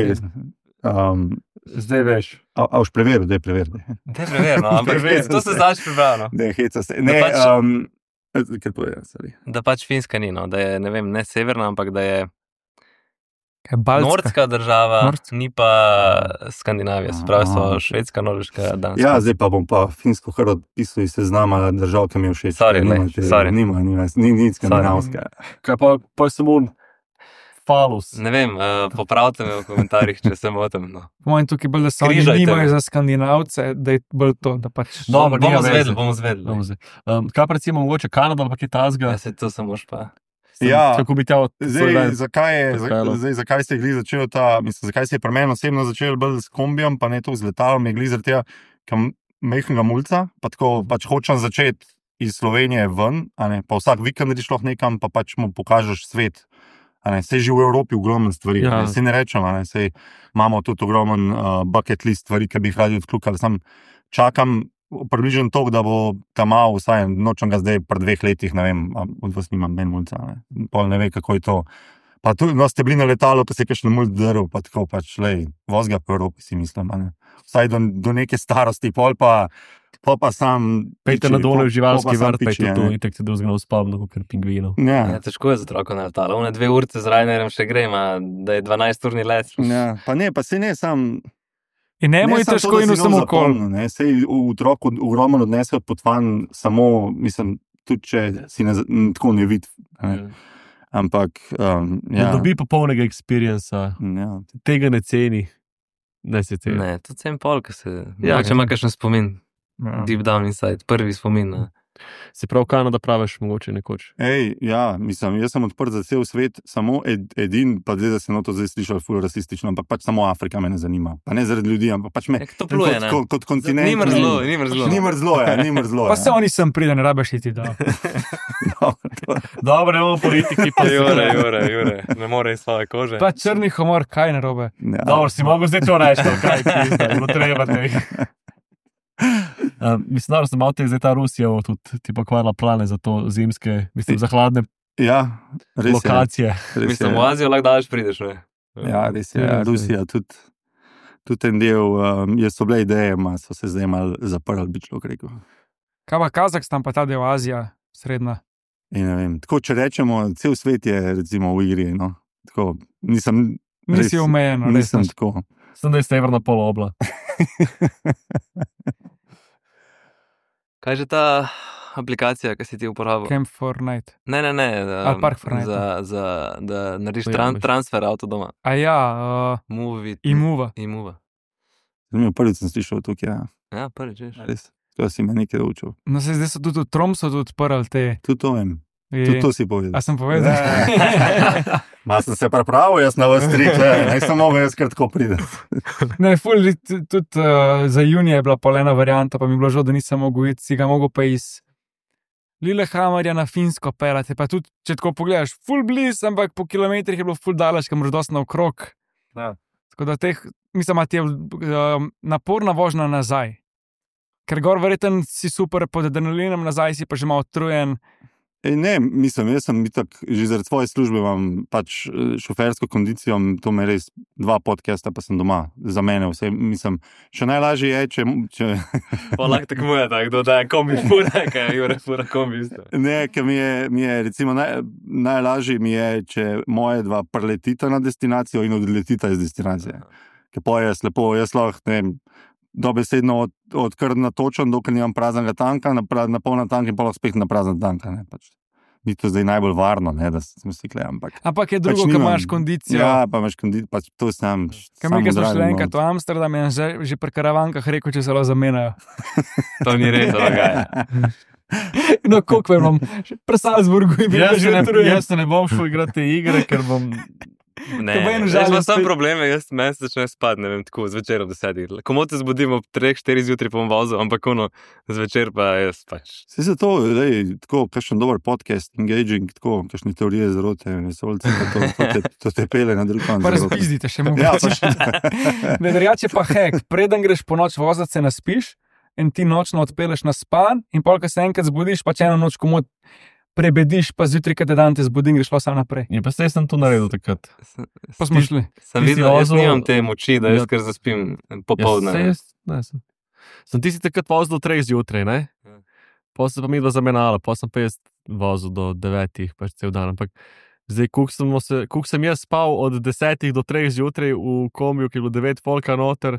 Zdaj veš. A už preveril, daj preveri. Dej preverno, ampak to se znaš prebrano. Ne, heca se. Ne, kaj povedal, sorry. Da pač Finska ni, no, da je, ne vem, ne severna, ampak da je Baltska. nordska država, ni pa Skandinavija, se pravi so Švedska, Norveška, Danska. Ja, zdaj pa bom pa Finsko kar odpisal iz seznama držav, ki mi je všeč. Sorry. Ni skandinavska. Kaj pa samo falus. Ne vem, popravite me v komentarjih, če se motim. No. Po mojem tukaj bolj, da so oni Križajte nimajo me. za Skandinavce, da je bolj to, da pač... Dobro, bomo nima zvedli. veze. Kaj pa recimo mogoče Kanada ali pa kaj tazga? Ja, se to samo pa. Ja. Kako bi tja Zdaj, pripeljal. zakaj se je glih začel zakaj se je pri meni osebno začel bolj s kombijem, pa ne to z letalom, je glih zaradi tega, ker mehkega mulca, pa tako pač hočem začeti iz Slovenije ven, pa vsak vikend greš lahko nekam, pa pač mu pokažeš svet. Sej že v Evropi ogromno stvari, Ja. sej ne rečem, sej imamo tudi ogromen bucket list stvari, ki bi jih radi odkljukali, sam čakam približno to, da bo tam malo, vsaj nočem ga zdaj pri 2 letih, ne vem, od vas nimam ben mulca, pol ne ve, kako je to. Pa tu ste bili na letalu, pa se je kakšen mulc drl, pa tako pač, voz ga po Evropi, si mislim, vsaj do neke starosti, pol pa sam... Pejte na dole v živalski pol pa sam vrt, pa je piči, to itak se drugega ne uspavno, kot pingvinov. Ja. Ja, težko je za otroka na letalo. One 2 urice z Ryanairjem še grema, da je 12-urni let. Ja, pa ne, sam In ne mu je težko in vsem okol. Sej v otroku ogromno odnese potvan, samo, mislim, tudi če si tako ne vidi. Ampak, Ne dobi popolnega experienca, tega ne ceni. Ne se ceni. Ne, to cen pol, ko se... Če ima kakšen spomin. Deep down inside, prvi spomin. Se prav Kanada praviš mogoče nekoč. Mislim, jaz sem odprt za cel svet, samo edin, pa zdaj, da se to zdaj slišal ful rasistično, ampak pač samo Afrika me ne zanima. Pa ne zaradi ljudi, ampak pač me kot kontinent. Ni mrzlo. Ni mrzlo. Pa se oni sem pride, ne rabiš iti, da. Dobro, ne bomo politiki, pa Jure, ne more iz svoje kože. Pa črni humor, kaj narobe? Dobro, si mogel zdaj to reči, kaj bo treba tega. Mislim, da sem malo zdaj ta Rusija tudi ti pokvarila plane za to zimske, mislim, za hladne lokacije. Mislim, v Azijo lahko daleč prideš, ne? Ja, res je. Rusija tudi en del, so bile ideje, so se zdaj malo zaprli, bi človek rekel. Kaj pa Kazahstan, pa ta del Azija, srednja? In ne vem, tako če rečemo, cel svet je recimo v igri, no. Tako, Nisi omejeno, nisem tako. Sem da je severna polobla. Kaj je že ta aplikacija, ki si ti uporabil? Camp for Night. Ne. Park for Night. Da narediš transfer avto doma. Imuva. Zanimivo, prvič sem slišal tukaj, ja. Ja, prvič, veš. Res, to si me nekaj učil. No, se zdaj so tudi v Tromsu odprli te. Tudi to vem. Tudi to si povedal. A sem povedal? Sem se pripravil, jaz na vas trik, ne sem mogel jaz kar tako pride. Ne, tudi za junija je bila polena varianta, pa mi je bilo žal, da nisem mogel iti, si ga mogel pa iz Lillehammerja na Finsko pelati, pa tudi, če tako pogledaš, ful bliz, ampak po kilometrih je bilo ful daleč, kam moraš dosti naokrog. Tako da mislim, da ti je naporna vožnja nazaj. Ker gor verjetno si super pod adrenalinom, nazaj si pa že malo utrujen. Ne, mislim, jaz sem že zaradi svoje službe imam pač šofersko kondicijo, to me res 2 podcasta, pa sem doma, za mene vse, mislim, še najlažje je, če... Pa lahko tako moja, kdo da je kombi fura, kaj je Jure fura kombi isto. Ne, ker mi je recimo najlažje mi je, če moje 2 preletita na destinacijo in odletita iz destinacije. Ker pa je slepo, jaz lahko, ne vem, dobesedno odkar natočen, dokler nimam praznega tanka, na polna tanka in pa lahko spet na prazen tanka. Ni to zdaj najbolj varno, ne, da smo stikle, ampak... Ampak je drugo, ko imaš kondicijo. Ja, pa imaš kondicijo, pač to sam zdravim. Kaj smo šli enkrat v Amsterdam in že pri karavankah rekel, če se lahko zamenjajo. To ni res, dogaja. No, koliko imam? Pri Salzburgu je bilo že utrujen. Jaz se ne bom šel igrati te igre, ker bom... Ne, jaz imam sam probleme, meni se začne spati, ne vem, tako zvečer ob 10. Komu te zbudim ob 3-4 zjutraj pa bom vozil, ampak zvečer pa jaz pač. Se za to, tako, kakšen dober podcast, engaging, tako, kakšne teorije zarote, vesolce, to te pele na drug konc. Pa razpizdite še mogoče. Ne, drugače pa hek, preden greš po noč vozat, se naspiš in ti nočno odpeleš na span in pol, ko se enkrat zbudiš, pa če eno noč komod prebediš, pa zjutraj, kad je dan te zbudim, greš pa sam naprej. Ja, pa sem to naredil takrat. Pa smo šli. Sem videl, jaz nimam te moči, da jaz kar zaspim popoldne. Sem ti si takrat vozil do 3 zjutraj, ne? Potem se pa mi dva zamenjala, potem sem pa jaz vozil do 9, pač cel dan, ampak zdaj, koliko sem jaz spal od 10 do 3 zjutraj v kombiju, ki je bilo 9 folka noter.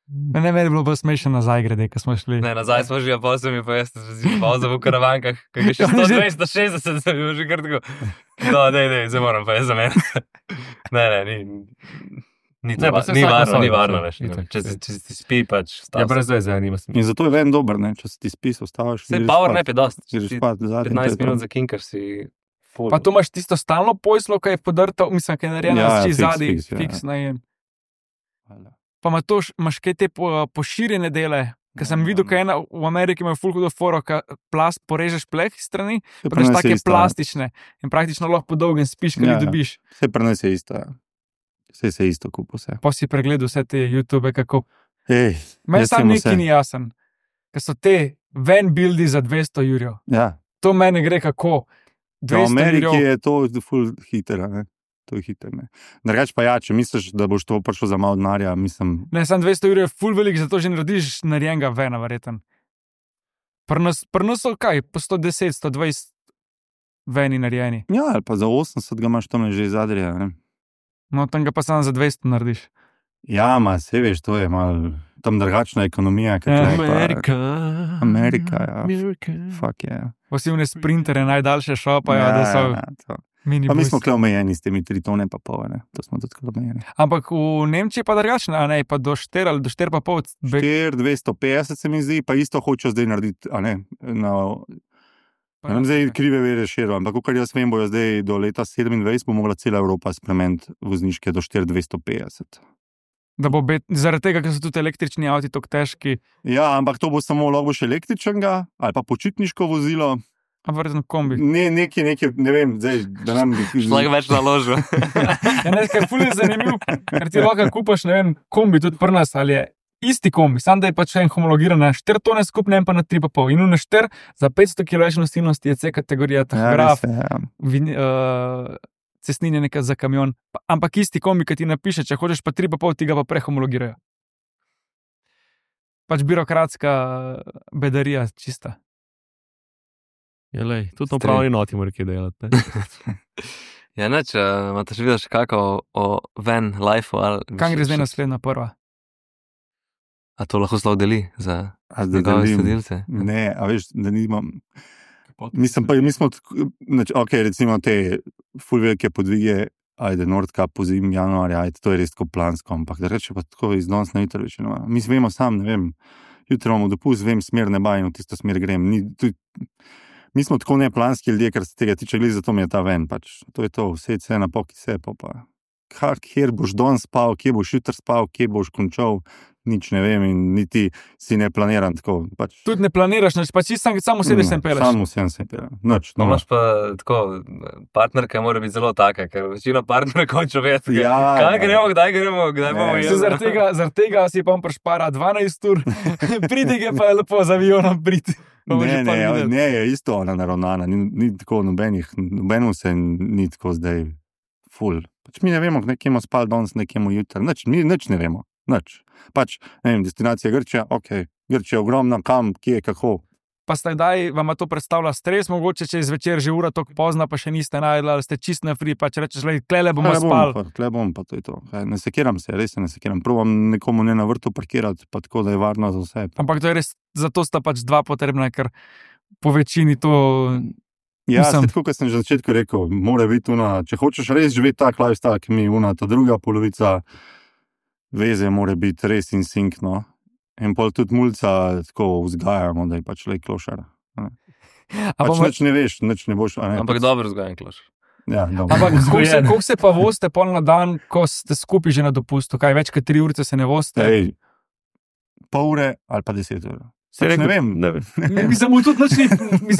Ne, meni je bilo bolj smešno nazaj grede, ko smo šli. Ne, nazaj smo že, pa sem pa jaz vozil v karavankah, kaj je še 160, sem bil že kar tako. No, dej, zdaj moram pa jaz za mene. Ne, ni varno, veš. Če ti spi, pač stav. Ja, brez veze, nima smisla. In zato je ven dober, ne, če si ti spi, ostavaš. Se power nap je dosti. 15 minut za kinkaš si full. Pa tu imaš tisto stalno pojslo, kaj je podrto, mislim, kaj je narejeno z zadnji, fiks najem. Pa imaš kaj te poširjene dele, ker sem videl, kaj v Ameriki imajo ful hudo foro, ka plast porežeš pleh strani, pa imaš take plastične in praktično lahko po dolgem spiš, kaj dobiš. Vse prenes je isto, ja. Vse se isto kupo vse. Pa si pregledal vse te YouTube, kako... Meni sam neki ni jasen, ker so te van buildi za 200 jurjev. Ja. To meni gre kako. V Ameriki je to ful hitera, ne. To je hiter, ne. Drugač pa ja, če misliš, da boš to prišel za malo denarja, mislim... Ne, sam 200 jurjev je ful velik, zato že narediš narejenega vena, verjeten. Pri nas so kaj, po 110, 120 veni narejeni. Ja, ali pa za 80 ga imaš tam že iz Adrija, ne. No, tam ga pa sam za 200 narediš. Ja, se veš, to je malo tam drugačna ekonomija. Amerika, ja. Fuck, yeah. Posebne sprintere najdaljše šopajo, da so mini. Pa mi smo omejeni s temi 3 tone pa pol, ne? To smo tudi omejeni. Ampak v Nemčiji pa drugačno, a ne, pa do 4 ali do 4 pa pol. 4,250 se mi zdi, pa isto hočejo zdaj narediti, a ne, ne vem zdaj krive vere širo, ampak kar jaz vem, bojo zdaj do leta 27 bo mogla cela Evropa spremeniti vozniške do 4,250. Da bo zaradi tega, ker so tudi električni avti tako težki. Ja, ampak to bo samo lahko še električnega ali pa počitniško vozilo. Ampak verjetno kombi. Nekaj, ne vem, zdaj, da nam bi... Šlag več naložil. Ja, ne, ker ful je zanimiv, ker ti lahko kupaš, ne vem, kombi tudi pri nas, ali je isti kombi, sam da je pač en homologiran na 4 tone skupne, en pa na 3,5. In na 4 za 500 kg nosilnosti je C kategorija, tahograf, cestninje nekaj za kamion, ampak isti kombi, ki ti napiše, če hočeš pa 3,5, ti ga pa prehomologirajo. Pač birokratska bedarija čista. Ja, lej, tudi to pravi noti mora kaj delati. Ja, neč, imate še videl še kako o van life-u? Kam gre zdaj naslednja prva? A to lahko zelo deli za njegove sledilce? Ne, a veš, da nimam... Mi smo, ok, recimo te ful velike podvige, ajde, Nordkap pozim januarja, ajde, to je res tako plansko, ampak da reče pa tako iz danes na jutro večino. Mi vemo sam, ne vem, jutro imamo dopust, vem smer neba in v tisto smer grem. Mi smo tako neplanski ljudje, kar se tega tiče, glede zato mi je ta ven, pač. To je to, vse na poki se, pa. Kjer boš danes spal, kje boš jutro spal, kje boš končal, nič ne vem in niti si ne planiram tako. Pač. Tudi ne planiraš, pač samo sedeš sem peleš. Samo sem peleš. Noč. No, imaš pa tako, partnerka mora biti zelo taka, ker večina partnerka konča vedeti. Ja, kaj gremo, kdaj bomo jeli. Zaradi tega si pa prišpara 12 ur, pridige pa je lepo z avionom priti. Ne, je isto ona naravnana, ni tako nobenemu se ni tako zdaj ful. Pač mi ne vemo, nekjemo spal danes, nekjemo jutro, mi nič ne vemo. Nič. Pač, ne vem, destinacija Grčija, ok, Grčija ogromna, kam, kje, kako. Pa zdaj vam to predstavlja stres, mogoče če izvečer že ura tako pozna, pa še niste najdli, ali ste čist na free, pa če rečeš, klele bomo spali. Klele bom, pa to je to. Ne sekiram se, res se ne sekiram. Probam nekomu ne na vrtu parkirati, pa tako, da je varno za vse. Ampak to je res, zato sta pač 2 potrebna, ker po večini to... Ja, tako, kot sem že na začetku rekel, mora biti če hočeš res živeti tak lifestyle, ki mi ta druga polovica veze mora biti res in sinkno. In pol tudi mulca tako vzgajamo, da je pač lej klošar. Pač nič ne veš, nič ne boš. Ampak dobro vzgajan klošar. Ja, ampak koliko se pa voste pol na dan, ko ste skupaj že na dopustu? Kaj, več kot 3 ure se ne voste? Pol ure ali pa 10 ur. Pač ne vem. Mislim,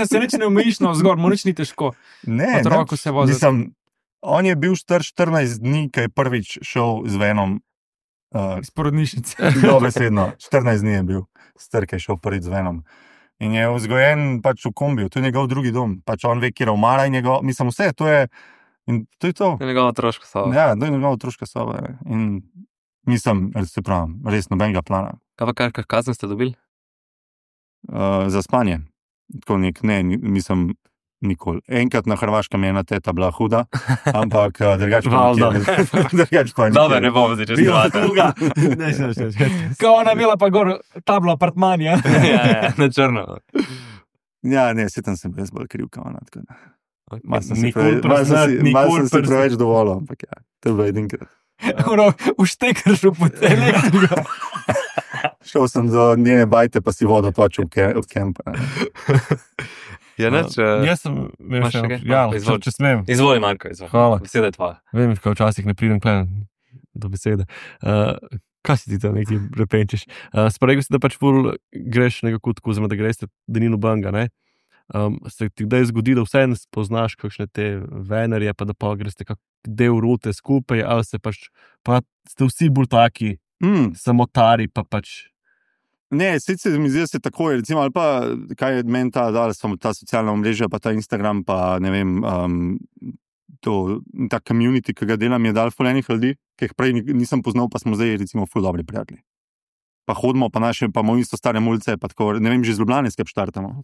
se nič ne omejiš na vzgor, mu nič ni težko. Ne, on je bil star 14 dni, ko je prvič šel z venom. Iz porodnišnice. Dobesedno, 14 dni je bil star, ko je šel prvič z venom. In je vzgojen pač v kombiju, to je njegov drugi dom. Pač on ve, kjer omara in mislim vse, to je to. To je njegova otroška soba. Ja, to je njegova otroška soba. In mislim, se pravim, res nobenega plana. Kaj pa kar kazen ste dobili? Za spanje. Tako mislim, nikoli. Enkrat na Hrvaškem je ena teta bila huda, ampak drugače pa nikjer. Dobre, ne bomo zdaj čez dva. Kao ona imela pa gor tablo apartmanja. Ja, na črno. Ja, ne, setam sem res bolj kriv, kao ona. Malo sem si preveč dovolil, ampak ja, to je bilo edinkrat. Uštekrš v elektriko. Šel sem do njene bajte, pa si vodo točil v kempa. Ja, neč, jaz sem imel še nekaj. Če smem. Izvoli, Marko, izvoli. Hvala. Beseda je tvoja. Vem, ko včasih ne pridem do besede. Kaj si ti tam nekaj repenčiš? Sporegal si, da pač ful greš nekako tako, oziroma da greš denino banga, ne? Se ti kdaj zgodi, da vse ne spoznaš kakšne te venerje, pa da pa greš kak del rute skupaj, ali se pač, pa ste vsi bolj taki samotari, pa pač... Ne, sicer mi zdi, da se tako je, recimo, ali pa, kaj je meni ta socialna omrežja, pa ta Instagram, pa ne vem, ta community, ki ga delam, je dal ful enih ljudi, ki jih prej nisem poznal, pa smo zdaj, recimo, ful dobri prijatelji. Pa hodimo, pa imamo isto stare ulice, pa tako, ne vem, že z Ljubljane skep štartamo.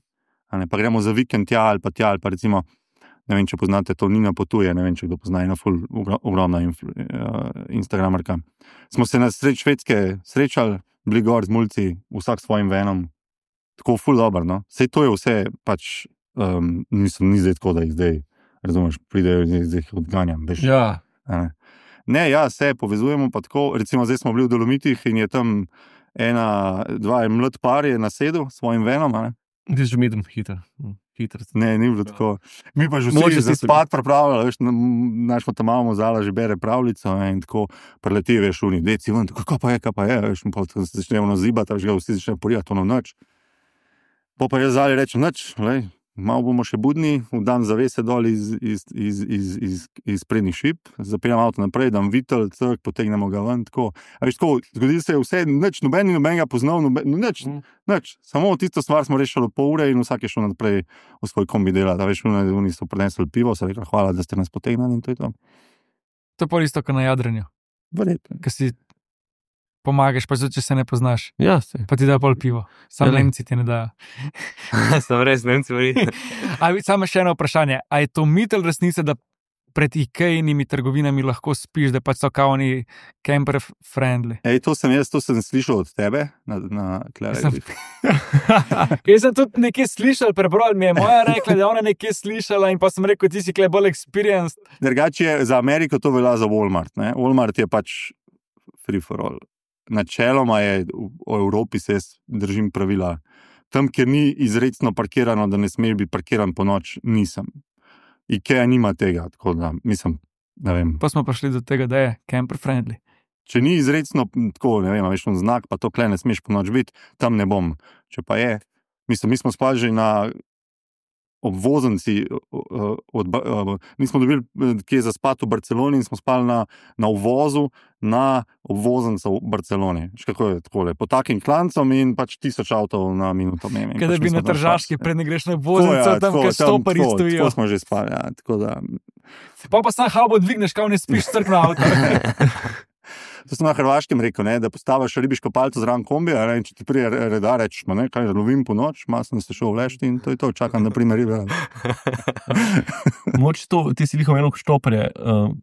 Pa gremo za vikend tja ali pa recimo, ne vem, če poznate, to Nina potuje, ne vem, če kdo pozna, ena ogromna instagramerka. Smo se na sredi Švedske srečali, bili gor z mulci, vsak s svojim venom, tako ful dobro, no. Sej to je vse, pač, ni zdaj tako, da jih zdaj, razumeš, pridejo in zdaj jih odganjam, veš. Ja. Ne, ja, se povezujemo pa tako, recimo zdaj smo bili v Dolomitih in je tam dva mlad par je nasedel s svojim venom, a ne? Ti si že midem hiter. Ne, ni bilo tako. Mi pa že vsi za spad pripravljali, veš, naš pa tam imamo zala že bere pravljico in tako preleti, veš, oni, deci ven, tako, kaj pa je, veš, pa se začnemo nazibati, veš, ga vsi začnejo porijati, ono nič. Pa jaz zali rečem, nič, lej, malo bomo še budni, vdam zavese dol iz prednjih šip, zapeljem avto naprej, dam vitel, potegnemo ga ven, tako. A veš, tako, zgodi se vse, nič, noben ga poznal, nič, samo tisto stvar smo rešili pol ure in vsak je šel naprej v svoj kombi delati. A veš, oni so prinesli pivo, so rekli, hvala, da ste nas potegnali in to je to. To je pa isto, kot na jadranju. Verjetno. Ker si pomagaš, pa če se ne poznaš. Ja, se. Pa ti da pol pivo. Sam Nemci ti ne dajo. Sam res Nemci verjetno. Samo še eno vprašanje. A je to mit ali resnica, da pred IKEA-nimi trgovinami lahko spiš, da pač so kao oni camper friendly? To sem slišal od tebe na Klare. Jaz sem tudi nekje slišal, prebral mi je moja rekla, da je ona nekje slišala in pa sem rekel, ti si kle bolj experienced. Drugače za Ameriko to velja za Walmart, ne? Walmart je pač free for all. Načeloma je v Evropi se držim pravila. Tam, kjer ni izrecno parkirano, da ne smeš biti parkiran po noč, nisem. IKEA nima tega, tako da mislim, ne vem. Pa smo prišli do tega, da je camper friendly. Če ni izrecno tako, ne vem, veš, znak, pa to kle ne smeš po noč biti, tam ne bom. Če pa je, mislim, mi smo spali že na obvoznici, nismo dobili kje za spat v Barceloni in smo spali na uvozu na obvoznico v Barceloni. Kako je takole? Po takim klancom in pač 1000 avtov na minuto. Kaj da bi na Tržaški, pred ne greš na obvoznico, tam, kjer stopari stojijo. Tako smo že spali, ja. Tako da... Pa sam halbo dvigneš, kao ne spiš crk na avto. To sem na Hrvaškem rekel, ne, da postaviš ribiško palco zraven kombija, in če ti prije redar rečeš, kaj lovim po noč, malo sem se šel vlešti in to je to, čakam na primer ribe. Moč to, ti si lihom eno štoparje,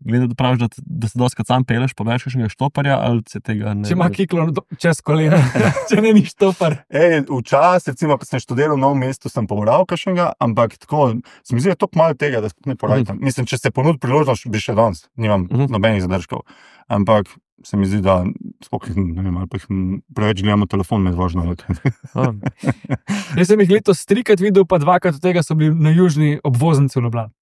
glede da praviš, da se doskrat sam peleš, pa veš kakšnega štoparja, ali se tega ne... Če ima kiklo čez kolena, če ne ni štopar. Včasih, recimo, ko sem študiral v Novem mestu, sem pobral kakšnega, ampak tako, se mi zdi, da je toliko malo tega, da sploh ne porajtam. Mislim, če se ponud priložnost, bi še danes, nimam nobenih zadržkov. Ampak se mi zdi, da ne vem, ali pa preveč gledamo telefon med vožnjo. Jaz sem jih letos 3krat videl, pa 2krat od tega so bili na južni obvoznici v Ljubljani.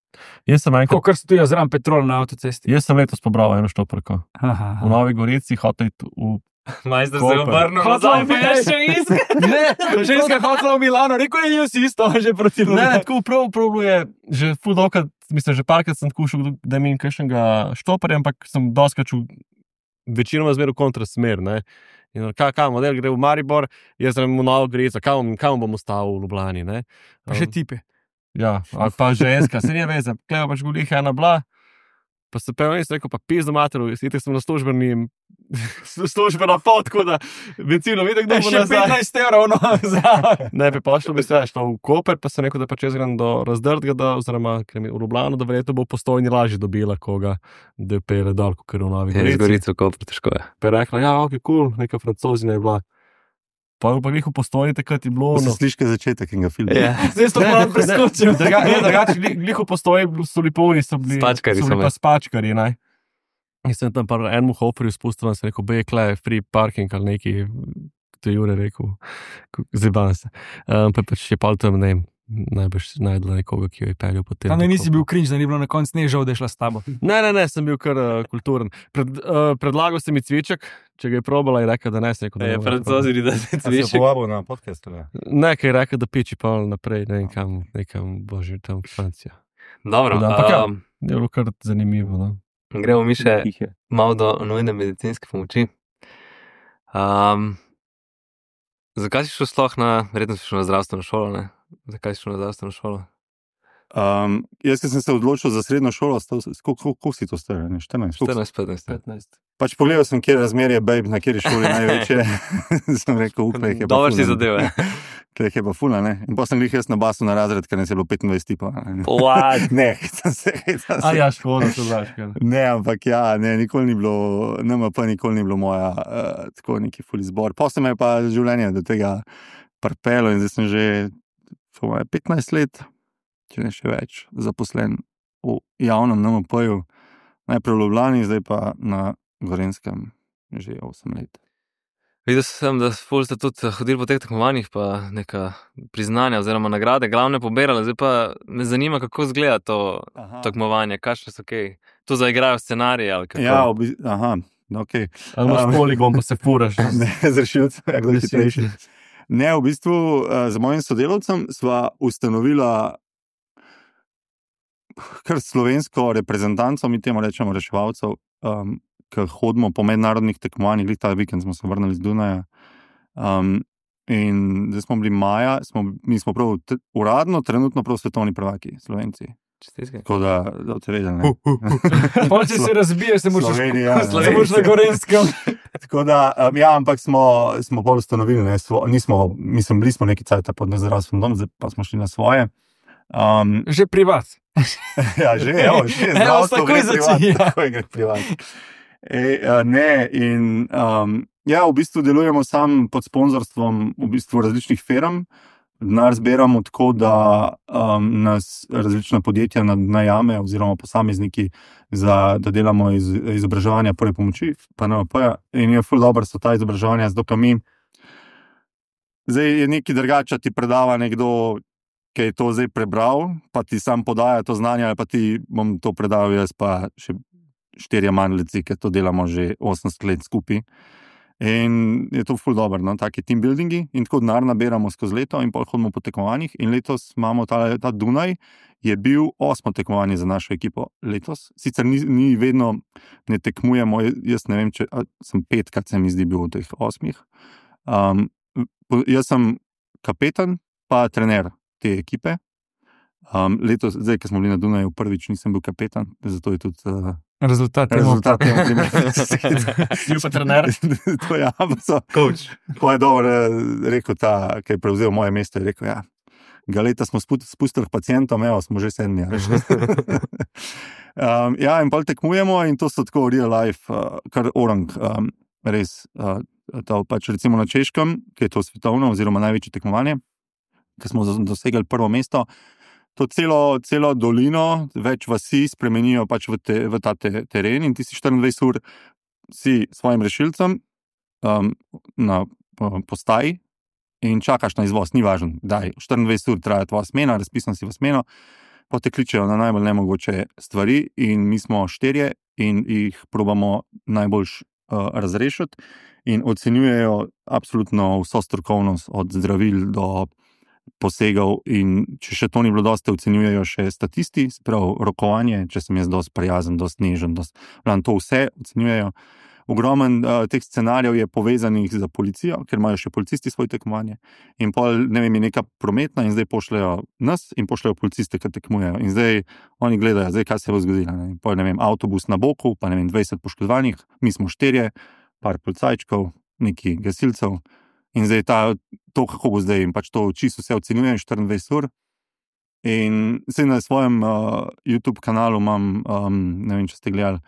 Kar stojijo zraven Petrol na avtocesti. Jaz sem letos pobral eno štoparko. V Novi Gorici hotel v Majster se obrnil nazaj, pa je še iskal. Ne, ženska hotela v Milano, rekel je, jaz isto, že proti Ljubljani. Ne, tako prav je, že ful dolkrat, mislim, že parkrat sem skušal, da imam kakšnega štoparja, ampak sem doskrat večinoma zmer v kontrasmer, ne. In kaj model gre v Maribor, jaz sem v Novo Gorico, kam bom ostal v Ljubljani, ne. Pa še tipe. Ja, ali pa ženska, se nije veze, kleva pač golih ena bila, pa se pev in sem rekel, pa pizdo materu, itek sem na službena pot, tako da benzino vidi, kdo bo nazaj. Še 15 evrov, no, za. Ne, bi pošlo bi se šlo v Koper, pa sem rekel, da pa čez grem do Razdrtga, oziroma v Ljubljano, da verjetno bo Postojni lažje dobila koga, da je pele dal, ker v Novi Gorici. Je z Gorico v Koper, težko je. Pa je rekla, ja, ok, cool, neka Francozina je bila. Pa glih v Postojni takrat je bilo... Se sliške začetek enega filma. Zdaj so malo preskočil. Drugače, glih v Postojni so liponi, so bili pa spačkari, ne. In sem tam pa enemu hoferju spustil, sem rekel, bekle, free parking ali neki, to je Jure rekel, zjeban se. Pa pač je pa tam, ne, najbrž najdela nekoga, ki jo je peljal potem. Tam nisi bil cringe, da ni bilo na konc nežal, da je šla s tabo. Ne, sem bil kar kulturen. Predlagal sem mi cviček, če ga je probala in rekel, da ne, sem rekel, da ne. Francozili, da se cviček. A se je povabil na podcast, ali? Ne, kaj je rekel, da piči pa naprej, ne vem nekam, bože, tam Francija. Dobro. Ampak je bilo kar zanimivo, no. Gremo mi še malo do nujne medicinske pomoči. Zakaj si šel sploh verjetno si šel na zdravstveno šolo, ne? Zakaj si šel na zdravstveno šolo? Jaz, ki sem se odločil za srednjo šolo, koliko si to star? 14? 14-15. Pač pogledal sem, kje razmerje, babe, na kjeri šoli največje. Sem rekel, upaj, je pa Dobro si ful, zadeve. Tle je pa fula, ne? In pa sem glih jaz na basu na razred, ker nas je bilo 25 tipa. What? Ne, hitam se. Ja, škoda, to znaš. Ne, ampak ja, ne, nikoli ni bilo, NMP nikoli ni bilo moja, tako neki ful izbor. Potem me je pa življenje do tega prpelo in zdaj sem že 15 let, če ne še več, zaposlen v javnem NMP-ju, najprej v Ljubljani, zdaj pa na Gorenjskem že 8 let. Videl sem, da ste tudi hodili po teh tekmovanjih, pa neka priznanja oziroma nagrade, glavne pobirali, zdaj pa me zanima, kako izgleda to tekmovanje, kakšne so kaj. Tu zaigrajo scenarije ali kako? Ja, ok. Ali imaš poligon, pa se furaš? Ne, z rešilcem, kdo je hitrejši. Ne, v bistvu z mojim sodelavcem sva ustanovila kar slovensko reprezentanco, mi temu rečemo reševalcev, ki hodimo po mednarodnih tekmovanjih, ta vikend smo se vrnili z Dunaja. In zdaj smo bili maja, mi smo prav uradno, trenutno prav svetovni prvaki, Slovenci. Čestitke. Tako da te vedeli, ne? Pa če se razbiješ, se moraš Slovenija, na Gorenskem. Tako da, ja, ampak smo bolj ustanovili, ne, bili smo neki cajt pod nezdravstvenim domom, zdaj pa smo šli na svoje. Že privat. Ja, že zdravstvo gre privat, tako gre privat. Ne, in ja, v bistvu delujemo sam pod sponzorstvom v bistvu različnih firm. Denar zbiramo tako, da nas različna podjetja najame oziroma posamezniki, da delamo izobraževanja prve pomoči, pa NMP-ja. In je ful dobro so ta izobraževanja, zato ka mi zdaj je nekaj drugače, ti predava nekdo, ki je to zdaj prebral, pa ti sam podaja to znanje, ali pa ti bom to predal jaz, pa še 4 manjleci, ki to delamo že 80 let skupaj. In je to ful dobro, no? Taki team buildingi in tako denar nabiramo skozi leto in pol hodimo po tekmovanjih in letos imamo ta Dunaj, je bil 8. tekmovanje za našo ekipo letos. Sicer ni vedno, ne tekmujemo, jaz ne vem, če sem 5, se mi zdi bil v teh 8. Jaz sem kapetan pa trener te ekipe. Letos, zdaj, ko smo bili na Dunaju, prvič nisem bil kapetan, zato je tudi rezultat temu primer. Bil pa trener. To je, Coach. To je dobro rekel ta, ki je prevzel moje mesto, je rekel, ja, ga leta smo spustili pacientom, evo, smo že 7. Ja, in pol tekmujemo in to so tako real life, kar orang, res, to pač recimo na Češkem, ki je to svetovno oziroma največje tekmovanje, ki smo dosegli prvo mesto, to celo dolino, več vasi spremenijo pač v ta teren in ti si 24 ur si svojim rešilcem na postaji in čakaš na izvoz, ni važno, daj, 24 ur traja tvoja smena, razpisan si v smeno, pa te kličejo na najbolj nemogoče stvari in mi smo 4 in jih probamo najboljš razrešiti in ocenjujejo absolutno vso strokovnost od zdravil do posegov in če še to ni bilo dosti, ocenjujejo še statisti, sprav rokovanje, če sem jaz dosti prijazen, dosti nežen, to vse ocenjujejo. Ogromen teh scenarijev je povezanih za policijo, ker imajo še policisti svoje tekmovanje in pol, ne vem, je neka prometna in zdaj pošljajo nas in pošljajo policiste, ki tekmujejo in zdaj oni gledajo, zdaj kaj se bo zgodilo, ne? Pol, ne vem, avtobus na boku, pa ne vem, 20 poškodovanih, mi smo 4, par policajčkov, neki gasilcev. In zdaj to, kako bo zdaj, in pač to čisto vse ocenjujem 24 ur. In zdaj na svojem YouTube kanalu imam, ne vem, če ste gledali,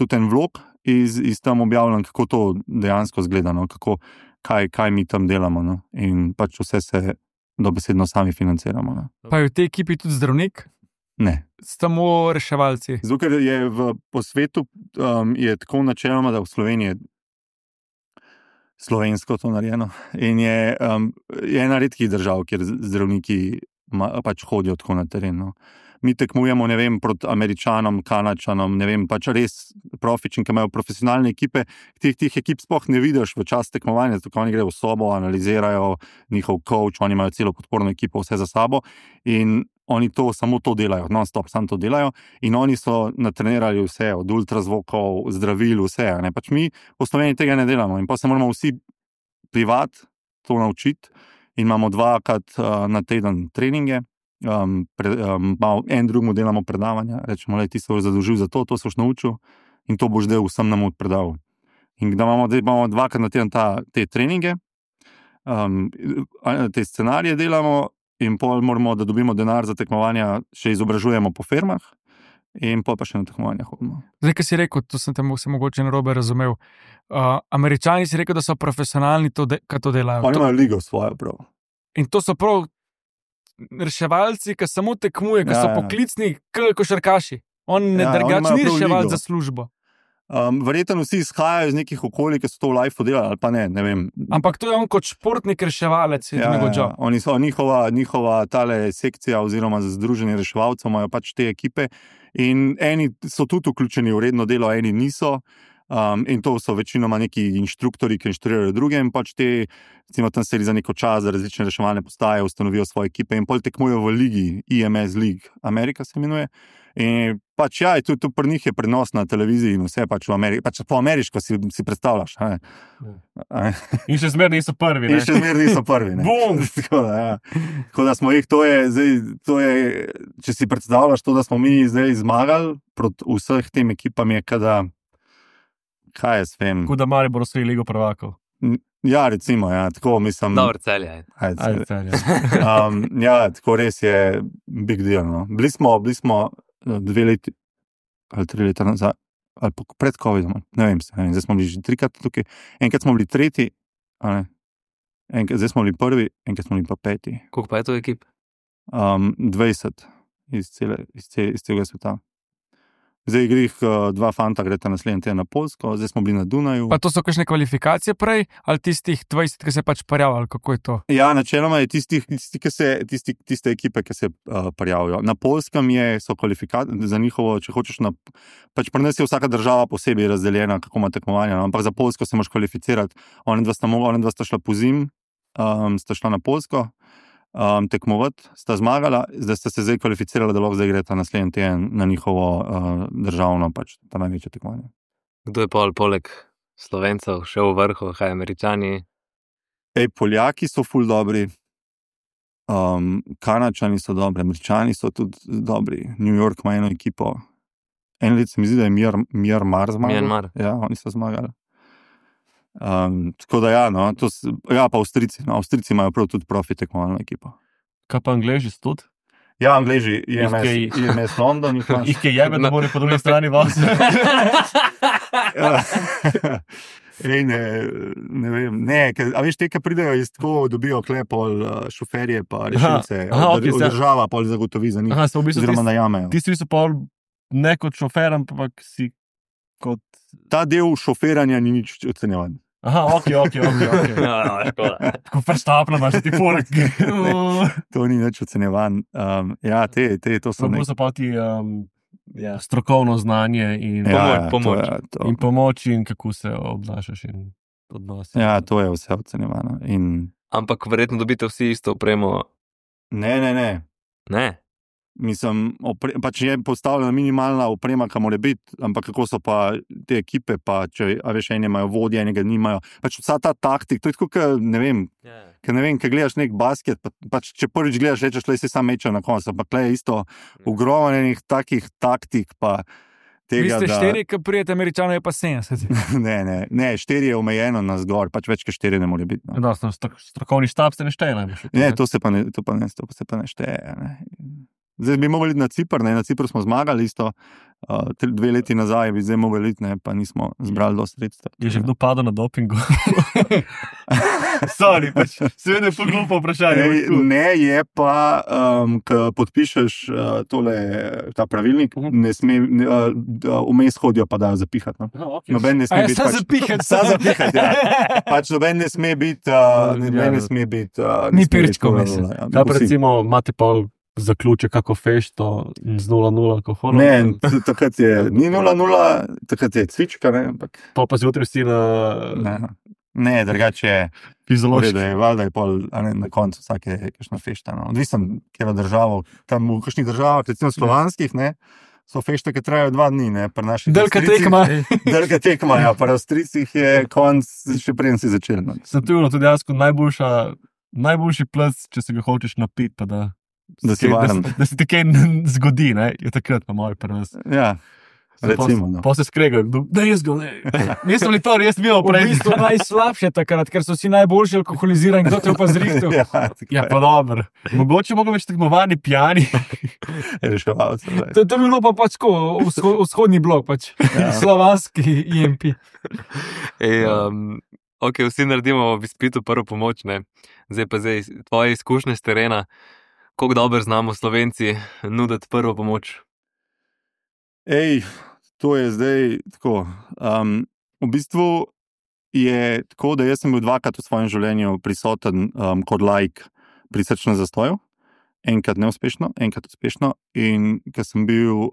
tudi en vlog iz tam objavljam, kako to dejansko zgleda, no? Kaj mi tam delamo. No? In pač vse se dobesedno sami financiramo. No? Pa je v tej ekipi tudi zdravnik? Ne. Samo reševalci? Zato, ker je po svetu je tako načeloma, da v Sloveniji slovensko to narejeno. In je ena redkih držav, kjer zdravniki pač hodijo tako na teren. No. Mi tekmujemo, ne vem, proti Američanom, Kanačanom, ne vem, pač res profični, ki imajo profesionalne ekipe, teh ekip sploh ne vidiš v čas tekmovanja, zato oni grejo v sobo, analizirajo njihov coach, oni imajo celo podporno ekipo, vse za sabo in oni samo to delajo, non-stop, samo to delajo in oni so natrenirali vse, od ultrazvokov, zdravil, vse. Ne? Pač mi v Sloveniji tega ne delamo in pa se moramo vsi privat to naučiti in imamo 2-krat na teden treninge en drugemu delamo predavanja, rečemo, ti se boš zadolžil za to se boš naučil in to boš del vsem nam predal. In da imamo 2krat na teden te treninge, te scenarije delamo in pol moramo, da dobimo denar za tekmovanja, še izobražujemo po firmah in pol pa še na tekmovanja hodimo. Zdaj, kaj si rekel, to sem te mogoče narobe razumel. Američani si rekel, da so profesionalni, kaj to delajo. Oni imajo ligo svojo prav. In to so prav reševalci, ki samo tekmujejo, ki so poklicni, košarkaši. On drugače ni reševal za službo. Verjetno vsi izhajajo iz nekih okolij, ki so to v lifeu delali, ali pa ne vem. Ampak to je on kot športnik reševalec. Oni so njihova tale sekcija oziroma združenje reševalcev, imajo pač te ekipe in eni so tudi vključeni v redno delo, eni niso. In to so večinoma neki inštruktori, ki inštruirajo druge in pač te, recimo tam se za neko čas za različne reševalne postaje ustanovijo svoje ekipe in pol tekmujejo v ligi, IMS League, Amerika se imenuje. In pač tudi pri njih je prenos na televiziji in vse pač v Ameriki, pač po ameriško si predstavljaš. In še zmeraj niso prvi. Bum! Tako da smo jih, to je, če si predstavljaš to, da smo mi zdaj zmagali proti vseh tem ekipam, je kada, kaj jaz vem. Kuda Maribor osvoji ligo prvakov. Ja, recimo, tako mislim. Dobro, Celje. Tako res je big deal. No. Bili smo 2 leti ali 3 leta nazaj, ali pred COVID-om, ne vem, zdaj smo bili že 3krat tukaj, enkrat smo bili 3, zdaj smo bili 1, enkrat smo bili pa 5. Koliko pa je to ekip? 20 iz celega sveta. Zdaj grih 2 fanta greta naslednji teden na Poljsko, zdaj smo bili na Dunaju. Pa to so kakšne kvalifikacije prej, ali tistih 20, ki se pač prijavili, kako je to? Ja, načeloma je tiste ekipe, ki se prijavijo. Na Poljskem so kvalifikacije za njihovo, če hočeš, pač pri nas je vsaka država posebej razdeljena, kako ima tekmovanja, ampak za Poljsko se moraš kvalificirati. Oni dva sta šla po zim, sta šla na Poljsko, tekmovati, sta zmagala, zdaj sta se zdaj kvalificirala, da lahko zdaj greta naslednji teden na njihovo državno, pač ta največje tekmovanje. Kdo je poleg Slovencev še v vrhu, kaj Američani? Poljaki so ful dobri, Kanačani so dobri, Američani so tudi dobri, New York ima eno ekipo. En let se mi zdi, da je Myanmar zmagal. Ja, oni so zmagali. Tako da pa Avstrijci. Avstrijci imajo prav tudi profi tekmovalno ekipo. Kaj pa Angleži tudi? Ja, Angleži, IMS London. Ih je jebe, da mora po drugi strani vas. Ne vem, a veš, te, ki pridejo iz tako, dobijo klepol šoferje pa rešilce, država pol zagotovi za njih, oziroma najamejo. Tisti so pol ne kot šofer, ampak si kot... Ta del šoferanja ni nič ocenjevan. Ok. Tako prštapno imaš ti poleg. To ni nič ocenjevan. To so so pa ti strokovno znanje in pomoč in kako se obnašaš in odnosi. Ja, to je vse ocenjevano. Ampak verjetno dobite vsi isto opremo. Ne? Mislim, pač je postavljena minimalna oprema, kam mora biti, ampak kako so pa te ekipe, pa če veš, eni imajo vodje, enega nimajo. Pač vsa ta taktik, to je tako, kaj gledaš nek basket, pač če prvič gledaš, rečeš, le si sam meča na koncu, ampak le je isto ogromno enih takih taktik, pa tega, vi ste 4, ki prijete Američanov, je pa 70. Ne, 4 je omejeno na zgor, pač več kot 4 ne more biti. No. Strokovni štab se ne šteje najbolj. Ne, to se pa ne šteje. Ne. Zdaj bi mogli iti na Cipr, na Cipru smo zmagali isto, 2 leti nazaj bi zdaj mogli iti, pa nismo zbrali dosti sredstev. Je že kdo padel na dopingu? Sorry, pač seveda je glupo vprašanje. Ne, je pa, ko podpišeš ta pravilnik, ne sme, vmes hodijo pa dajo zapihati. No? Okay. Noben ne sme biti. Zapihati, ja. Pač noben ne sme biti. Ni pirčko vmes. Da pa recimo imate pol zaključe kako fešto z 0-0 alkoholom? Ne, takrat je ni 0-0, takrat je cvička, ne, ampak... Pa zjutraj si na... Ne, drugače je fiziološki. Valjda je pol, na koncu vsake kakšna fešta, no. Odvisen, kjera državo, tam v kakšnih državah, recimo slovanskih, ne, so fešte, ki trajajo 2 dni, ne, pri naših Delka tekma, ja, pri Avstrijcih je konc, še preden si začel. No. Saturno, tudi jasko najboljši plac, če se ga hočeš napiti, pa da Da si varen. Da se ti kaj zgodi, ne? Je takrat pa moj prvenst. Ja, recimo. No. Pa se skregajo, da jaz ga ne. Nisem li to res bil V prej. bistvu najslabše takrat, ker so vsi najboljši alkoholizirani, kdo te pa zrihtel. Ja, Ja, pa dobro. Mogoče mogo več tekmovani pijani. reševalce. To je bilo pa pač tako, vzhodni blok, pač. Slovanski IMP. Ok, vsi naredimo v izpitu prvo pomoč, ne. Zdaj pa tvoje izkušnje z terena, koliko dobro znamo Slovenci nuditi prvo pomoč. To je zdaj tako. V bistvu je tako, da jaz sem bil dvakrat v svojem življenju prisoten kot laik pri srčnem zastoju. Enkrat neuspešno, enkrat uspešno. In ko sem bil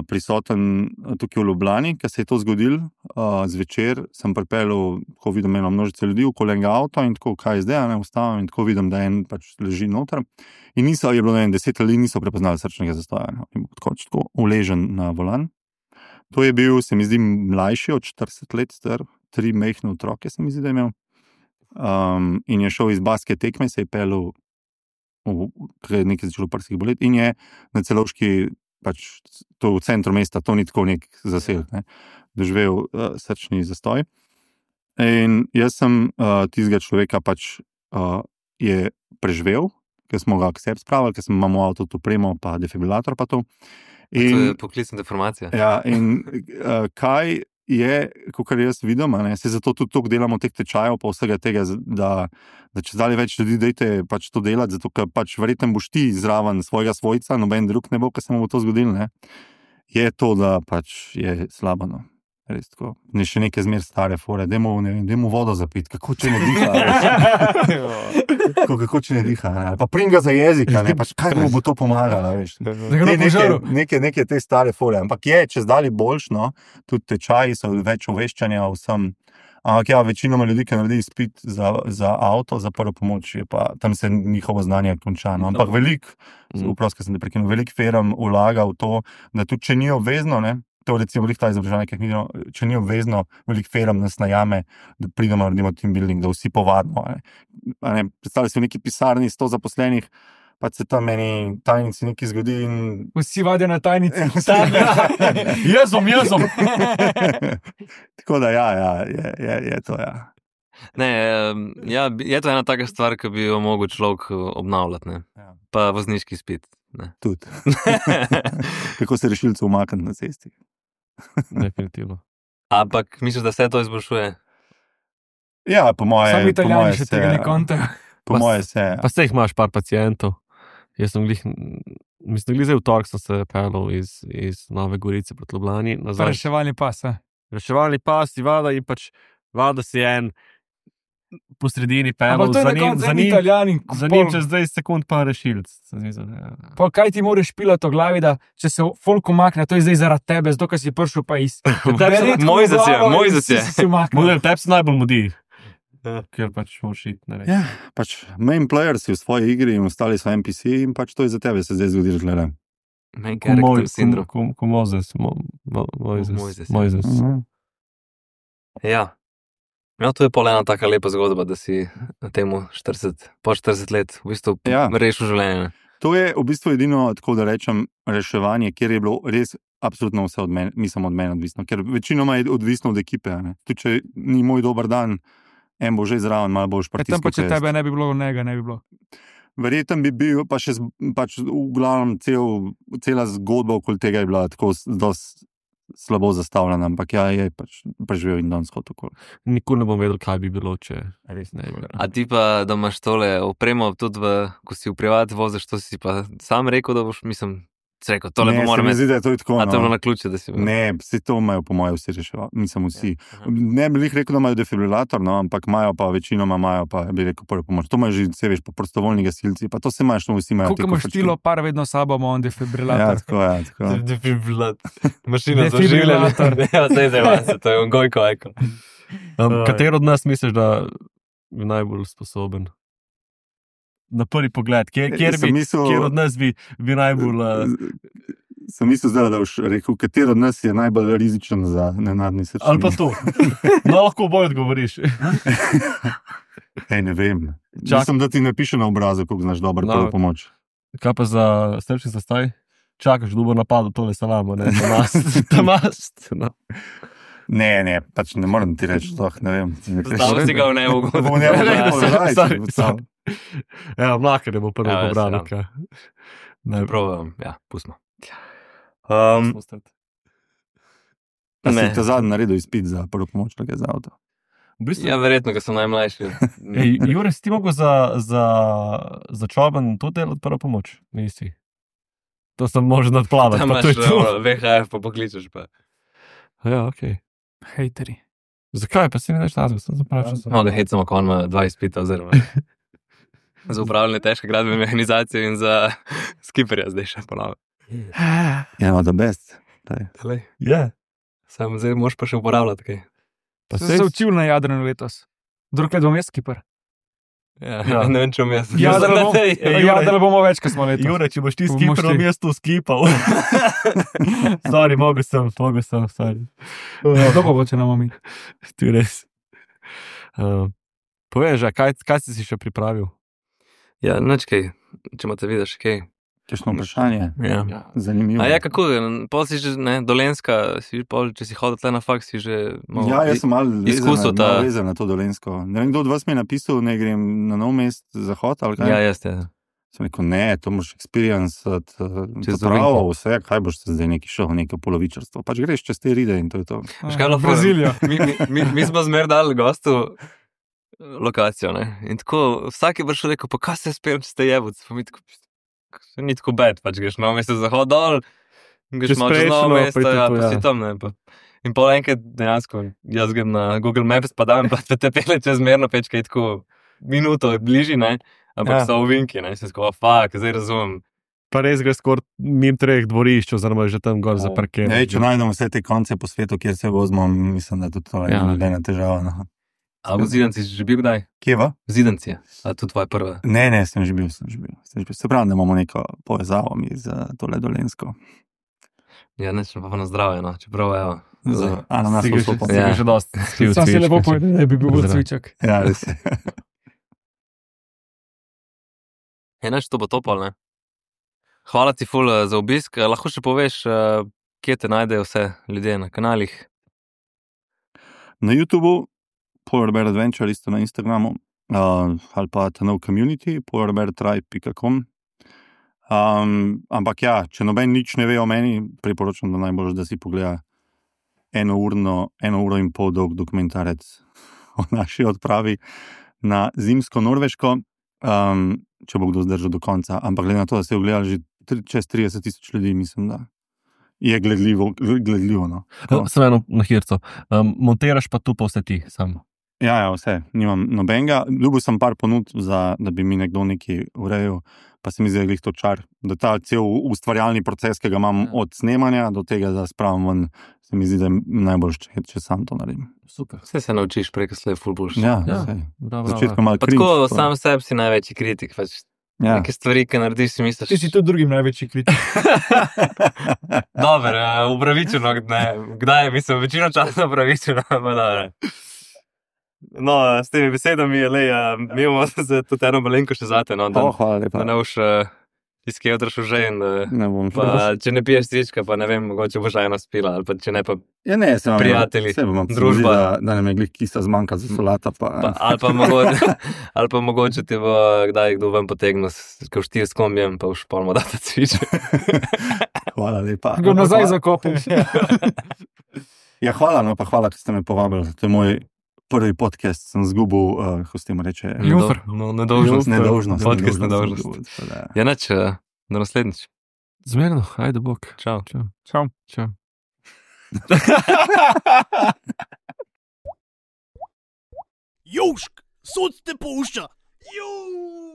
prisoten tukaj v Ljubljani, ko se je to zgodilo, zvečer sem pripeljal, ko vidim eno množico ljudi, okoli enega avta in tako, kaj je zdaj, ne ustavim in tako vidim, da en pač leži noter. In je bilo 10 ljudi, niso prepoznali srčnega zastoja. Ne? In tako uležen na volan. To je bil, se mi zdi, mlajši od 40 let star, 3 majhne otroke se mi zdi, da je imel. In je šel iz baske tekme, se je peljal nekaj začelo prskih boleti in je na Celovški, pač to v centru mesta, to ni tako nek zaselek, ne, doživel srčni zastoj. In jaz sem tistega človeka pač je preživel, ker smo ga k sebi spravili, ker sem imel avto to opremo, pa defibrilator pa to. To je poklicna deformacija. Ja, in kaj je, kakor jaz vidim, se zato tudi toliko delamo teh tečajev, pa vsega tega, da če zdaj več ljudi dejte pač to delati, zato ker pač verjetno boš ti zraven svojega svojca, noben drug ne bo, ker se mu bo to zgodilo, ne, je to, da pač je slabo, no. Res tako. Ne še neke zmer stare fore, dajmo vodo zapiti, kako če ne diha, kako če ne diha, ne? Pa prim ga za jezika, ne? Pač kaj mu bo to pomagalo, veš. Neke te stare fore, ampak je, če zdali boljš, no, tudi tečaji so več oveščanja vsem, ampak ja, večinoma ljudi, ki naredi izpit za avto, za prvo pomoč, je pa tam se njihovo znanje konča, no, ampak veliko firm vlaga v to, da tudi če ni obvezno, ne, to recimo ta izobraževanje, če ni obvezno, veliko firm nas najame, da pridemo, naredimo team building, da vsi povadimo. Predstavljaj se v neki pisarni 100 zaposlenih, pa se tam meni tajnici nekaj zgodi in... Vsi vadijo na tajnici. Jezom. Tako da je to, ja. Ne, je to ena taka stvar, ki bi jo mogel človek obnavljati, ne. Ja. Pa vozniški izpit. Tudi. Kako se rešilcev umakniti na cesti. Definitivno. Ampak misliš, da se to izboljšuje? Ja, po moje se. Sami Italijani še tega ne kontajo. Po moje se. Pa se jih imaš par pacientov. Jaz sem glih zdaj v torek sem se peljal iz Nove Gorice proti Ljubljani. Reševalni pas, Reševalni pas, vada in pač vada si en po sredini peljal, za njim čez 20 sekund pa rešilc. Pa kaj ti moraš pilati o glavi, da če se folk umakne, to je zdaj zaradi tebe, zato ker si prišel pa iz. Moj zasje. Tebi se najbolj mudi. Ker pač moraš iti, ne vem. Ja, pač main player si v svoji igri in ostali so NPC in pač to je za tebe se zdaj zgodi, gledaj. Main character syndrome. Ko Mojzes. Ja. No, to je pol ena taka lepa zgodba, da si temu po 40 let v bistvu rešil življenje. To je v bistvu edino, tako da rečem, reševanje, kjer je bilo res absolutno vse od mene odvisno, ker večinoma je odvisno od ekipe. Tudi če ni moj dober dan, en bo že zraven, malo boš pritisnil. Tam pa če tebe ne bi bilo, njega ne bi bilo. Verjetno bi bil, pa še pač v glavnem cela zgodba okoli tega je bila tako dosti slabo zastavljena, ampak je pač preživel in danes hod okoli. Nikoli ne bom vedel, kaj bi bilo, če res ne bi bilo. A ti pa, da imaš tole opremo tudi ko si v privat voziš, to si pa sam rekel, da boš, mislim, rekel, tole pa moram imeti. Ne, to je tako, a to je bilo na ključe, da si bil? Ne, vsi to imajo po moje vsi reševali, mislim vsi. Ne bi rekel, da imajo defibrilator, no, ampak imajo pa, večinoma imajo pa, bi rekel, prvo pomoč. To imajo že, se veš, pa prostovoljni gasilci, pa to se imaš, to vsi imajo. Koliko imaš štilo, par vedno sabo ima on defibrilator. Ja, tako. Defibrilator. Mašina za življenje. Ja, zdaj, to je on gojko, eko. Katero od nas misliš, da je najbolj sposoben? Na prvi pogled, kjer od nas bi najbolj... Sem mislil zdaj, da boš rekel, katero od nas je najbolj rizičen za nenadni srčni. Ali pa to. No, lahko oboje odgovoriš. Ne vem. Mislim, da ti ne piše na obrazu, koliko znaš dobro prvo pomoč. Kaj pa za srčni zastaj? Čakaš, da bo napadlo tole salamo, ne? Tamast. No. Ne, pač ne morem ti reči, ne vem. Zdaj si ga v nebu. Ja, mlaka ne bo prvo pobral. Ne probam, ja, pustimo. Si te zadnji naredil izpit za prvo pomoč, tako je za avto. Ja, verjetno, ker sem najmlajši. Jure, si ti mogel za čoban tudi delati prvo pomoč? Nisi. To sem možno nadplavati. Tam imaš VHF, pa pokličeš pa. Ja, okej. Hejteri. Zakaj? Pa si ne daš nazve, sem zapravil. No, da hecamo, ko on ima 2 izpita, oziroma za upravljanje težke gradbene mehanizacije in za skiperja zdaj še ponovno. Ja, no, the best. Ja. Sam zdaj moš pa še uporabljati kaj. Pa sem se učil na Jadranu letos. Drug let bom jaz skiper. Ja, ne vem, če bom jaz. Jadranu bomo več, ko smo letos. Jure, če boš ti skiperom, jaz tu skipal. Sorry, mogel sem, sorry. Kdo pa bo, če nam omi? Ti res. Povej, kaj si še pripravil? Ja, nič kaj, če imate vidiš kaj. Kakšno vprašanje? Ja. Zanimivo. A ja, kako, pol si že, ne, Dolenjska, če si hodil tle na faks, si že malo ja, jaz sem malo vezan na to Dolenjsko. Ne vem, kdo od vas mi je napisal, ne grem na nov mest zahod, ali kaj? Ja, jaz te. Sem rekel, ne, to moraš experiencati, to pravo, vse, kaj boš se zdaj neki šel, neko polovičarstvo. Pač greš čez te ride in to je to. Brazilija. Mi smo zmer dali gostu lokacijo, ne, in tako, vsak je prišel rekel, pa kaj se speljem, če ste jebuc, pa mi tako, ni tako bed, pač greš novo mesto zahod dol, greš malo čez novo mesto, ja, pa si tam, ne, pa. In pol enkrat dejansko, jaz grem na Google Maps, pa dam, pa te pele čezmerno pečka in tako minuto je bliži, ne, ampak so ovinki, ne, sem tako, fuck, zdaj razumem. Pa res greš skor mim 3 dvorišč, oziroma že tam gor za parkir. Če najdemo vse te konce po svetu, kjer se vozimo, mislim, da tudi to je nobena težava, no. A v Zidanci si že bil kdaj? Kje va? Zidanci, a to tvoja prva? Ne, sem že bil. Se pravi, da imamo neko povezavo mi za tole Dolenjsko. Ja, neč pa na zdravje, no, čeprav, evo. A na nas vstopom. Ja, že dosti. Sam si lepo povedal, da bi bil cvičak. Ja, res je. Neč to bo topal, ne? Hvala ti ful za obisk. Lahko še poveš, kje te najdejo vse ljudje na kanalih? Na YouTubeu, Polarbear Adventure, isto na Instagramu, ali pa ta nov community, polarbeartribe.com. Ampak ja, če noben nič ne ve o meni, priporočam, da najbolj, da si pogleda 1 uro in pol dolg dokumentarec o naši odpravi na zimsko Norveško, če bo kdo zdržal do konca. Ampak glede na to, da ste ogledali že čez 30,000 ljudi, mislim, da je gledljivo, no. Sem eno na hirco. Montiraš pa tu pa vse ti sam? Ja, vse. Nimam nobenega. Ljubil sem par ponud, da bi mi nekdo nekaj urejal, pa se mi zdi, da je to čar. Da ta cel ustvarjalni proces, ki ga imam od snemanja do tega, da spravim ven, se mi zdi, da je najbolj, če sam to naredim. Super. Vse se naučiš preko slej ful boljš. Ja, vse. Začetko malo pa cringe. Tako sam sebi si največji kritik, pač. Ja. Neke stvari, ki narediš, si misliš... Ti si tudi drugim največji kritik. Dober, upravičeno, kdaj, mislim, večino časa upravičeno, pa dobre. No, s temi besedami, mi imamo se tudi eno malenko še zate, no, hvala lepa. Da ne boš iz kje odrašel že in ne bom pa, če ne piješ cvička, pa ne vem, mogoče boš eno spila, ali pa če ne pa ja, ne, prijatelji, družba. Da nam je glih kisa zmanjka za solata, pa... ali pa mogoče ti bo kdaj kdo ven potegnil, ko štir s kombijem, pa už polmo dati cviček. Hvala lepa. Go nazaj zakopim. Ja, hvala, no pa hvala, ker ste me povabili. To je moj prvi podcast, sem zgubil, kako se temu reče? Nedolžnost. Podcast nedolžnost. Ja, neč, do naslednjič. Zmerno, ajde bok. Čau. Čau. Južk, sod te pušča. Juuu.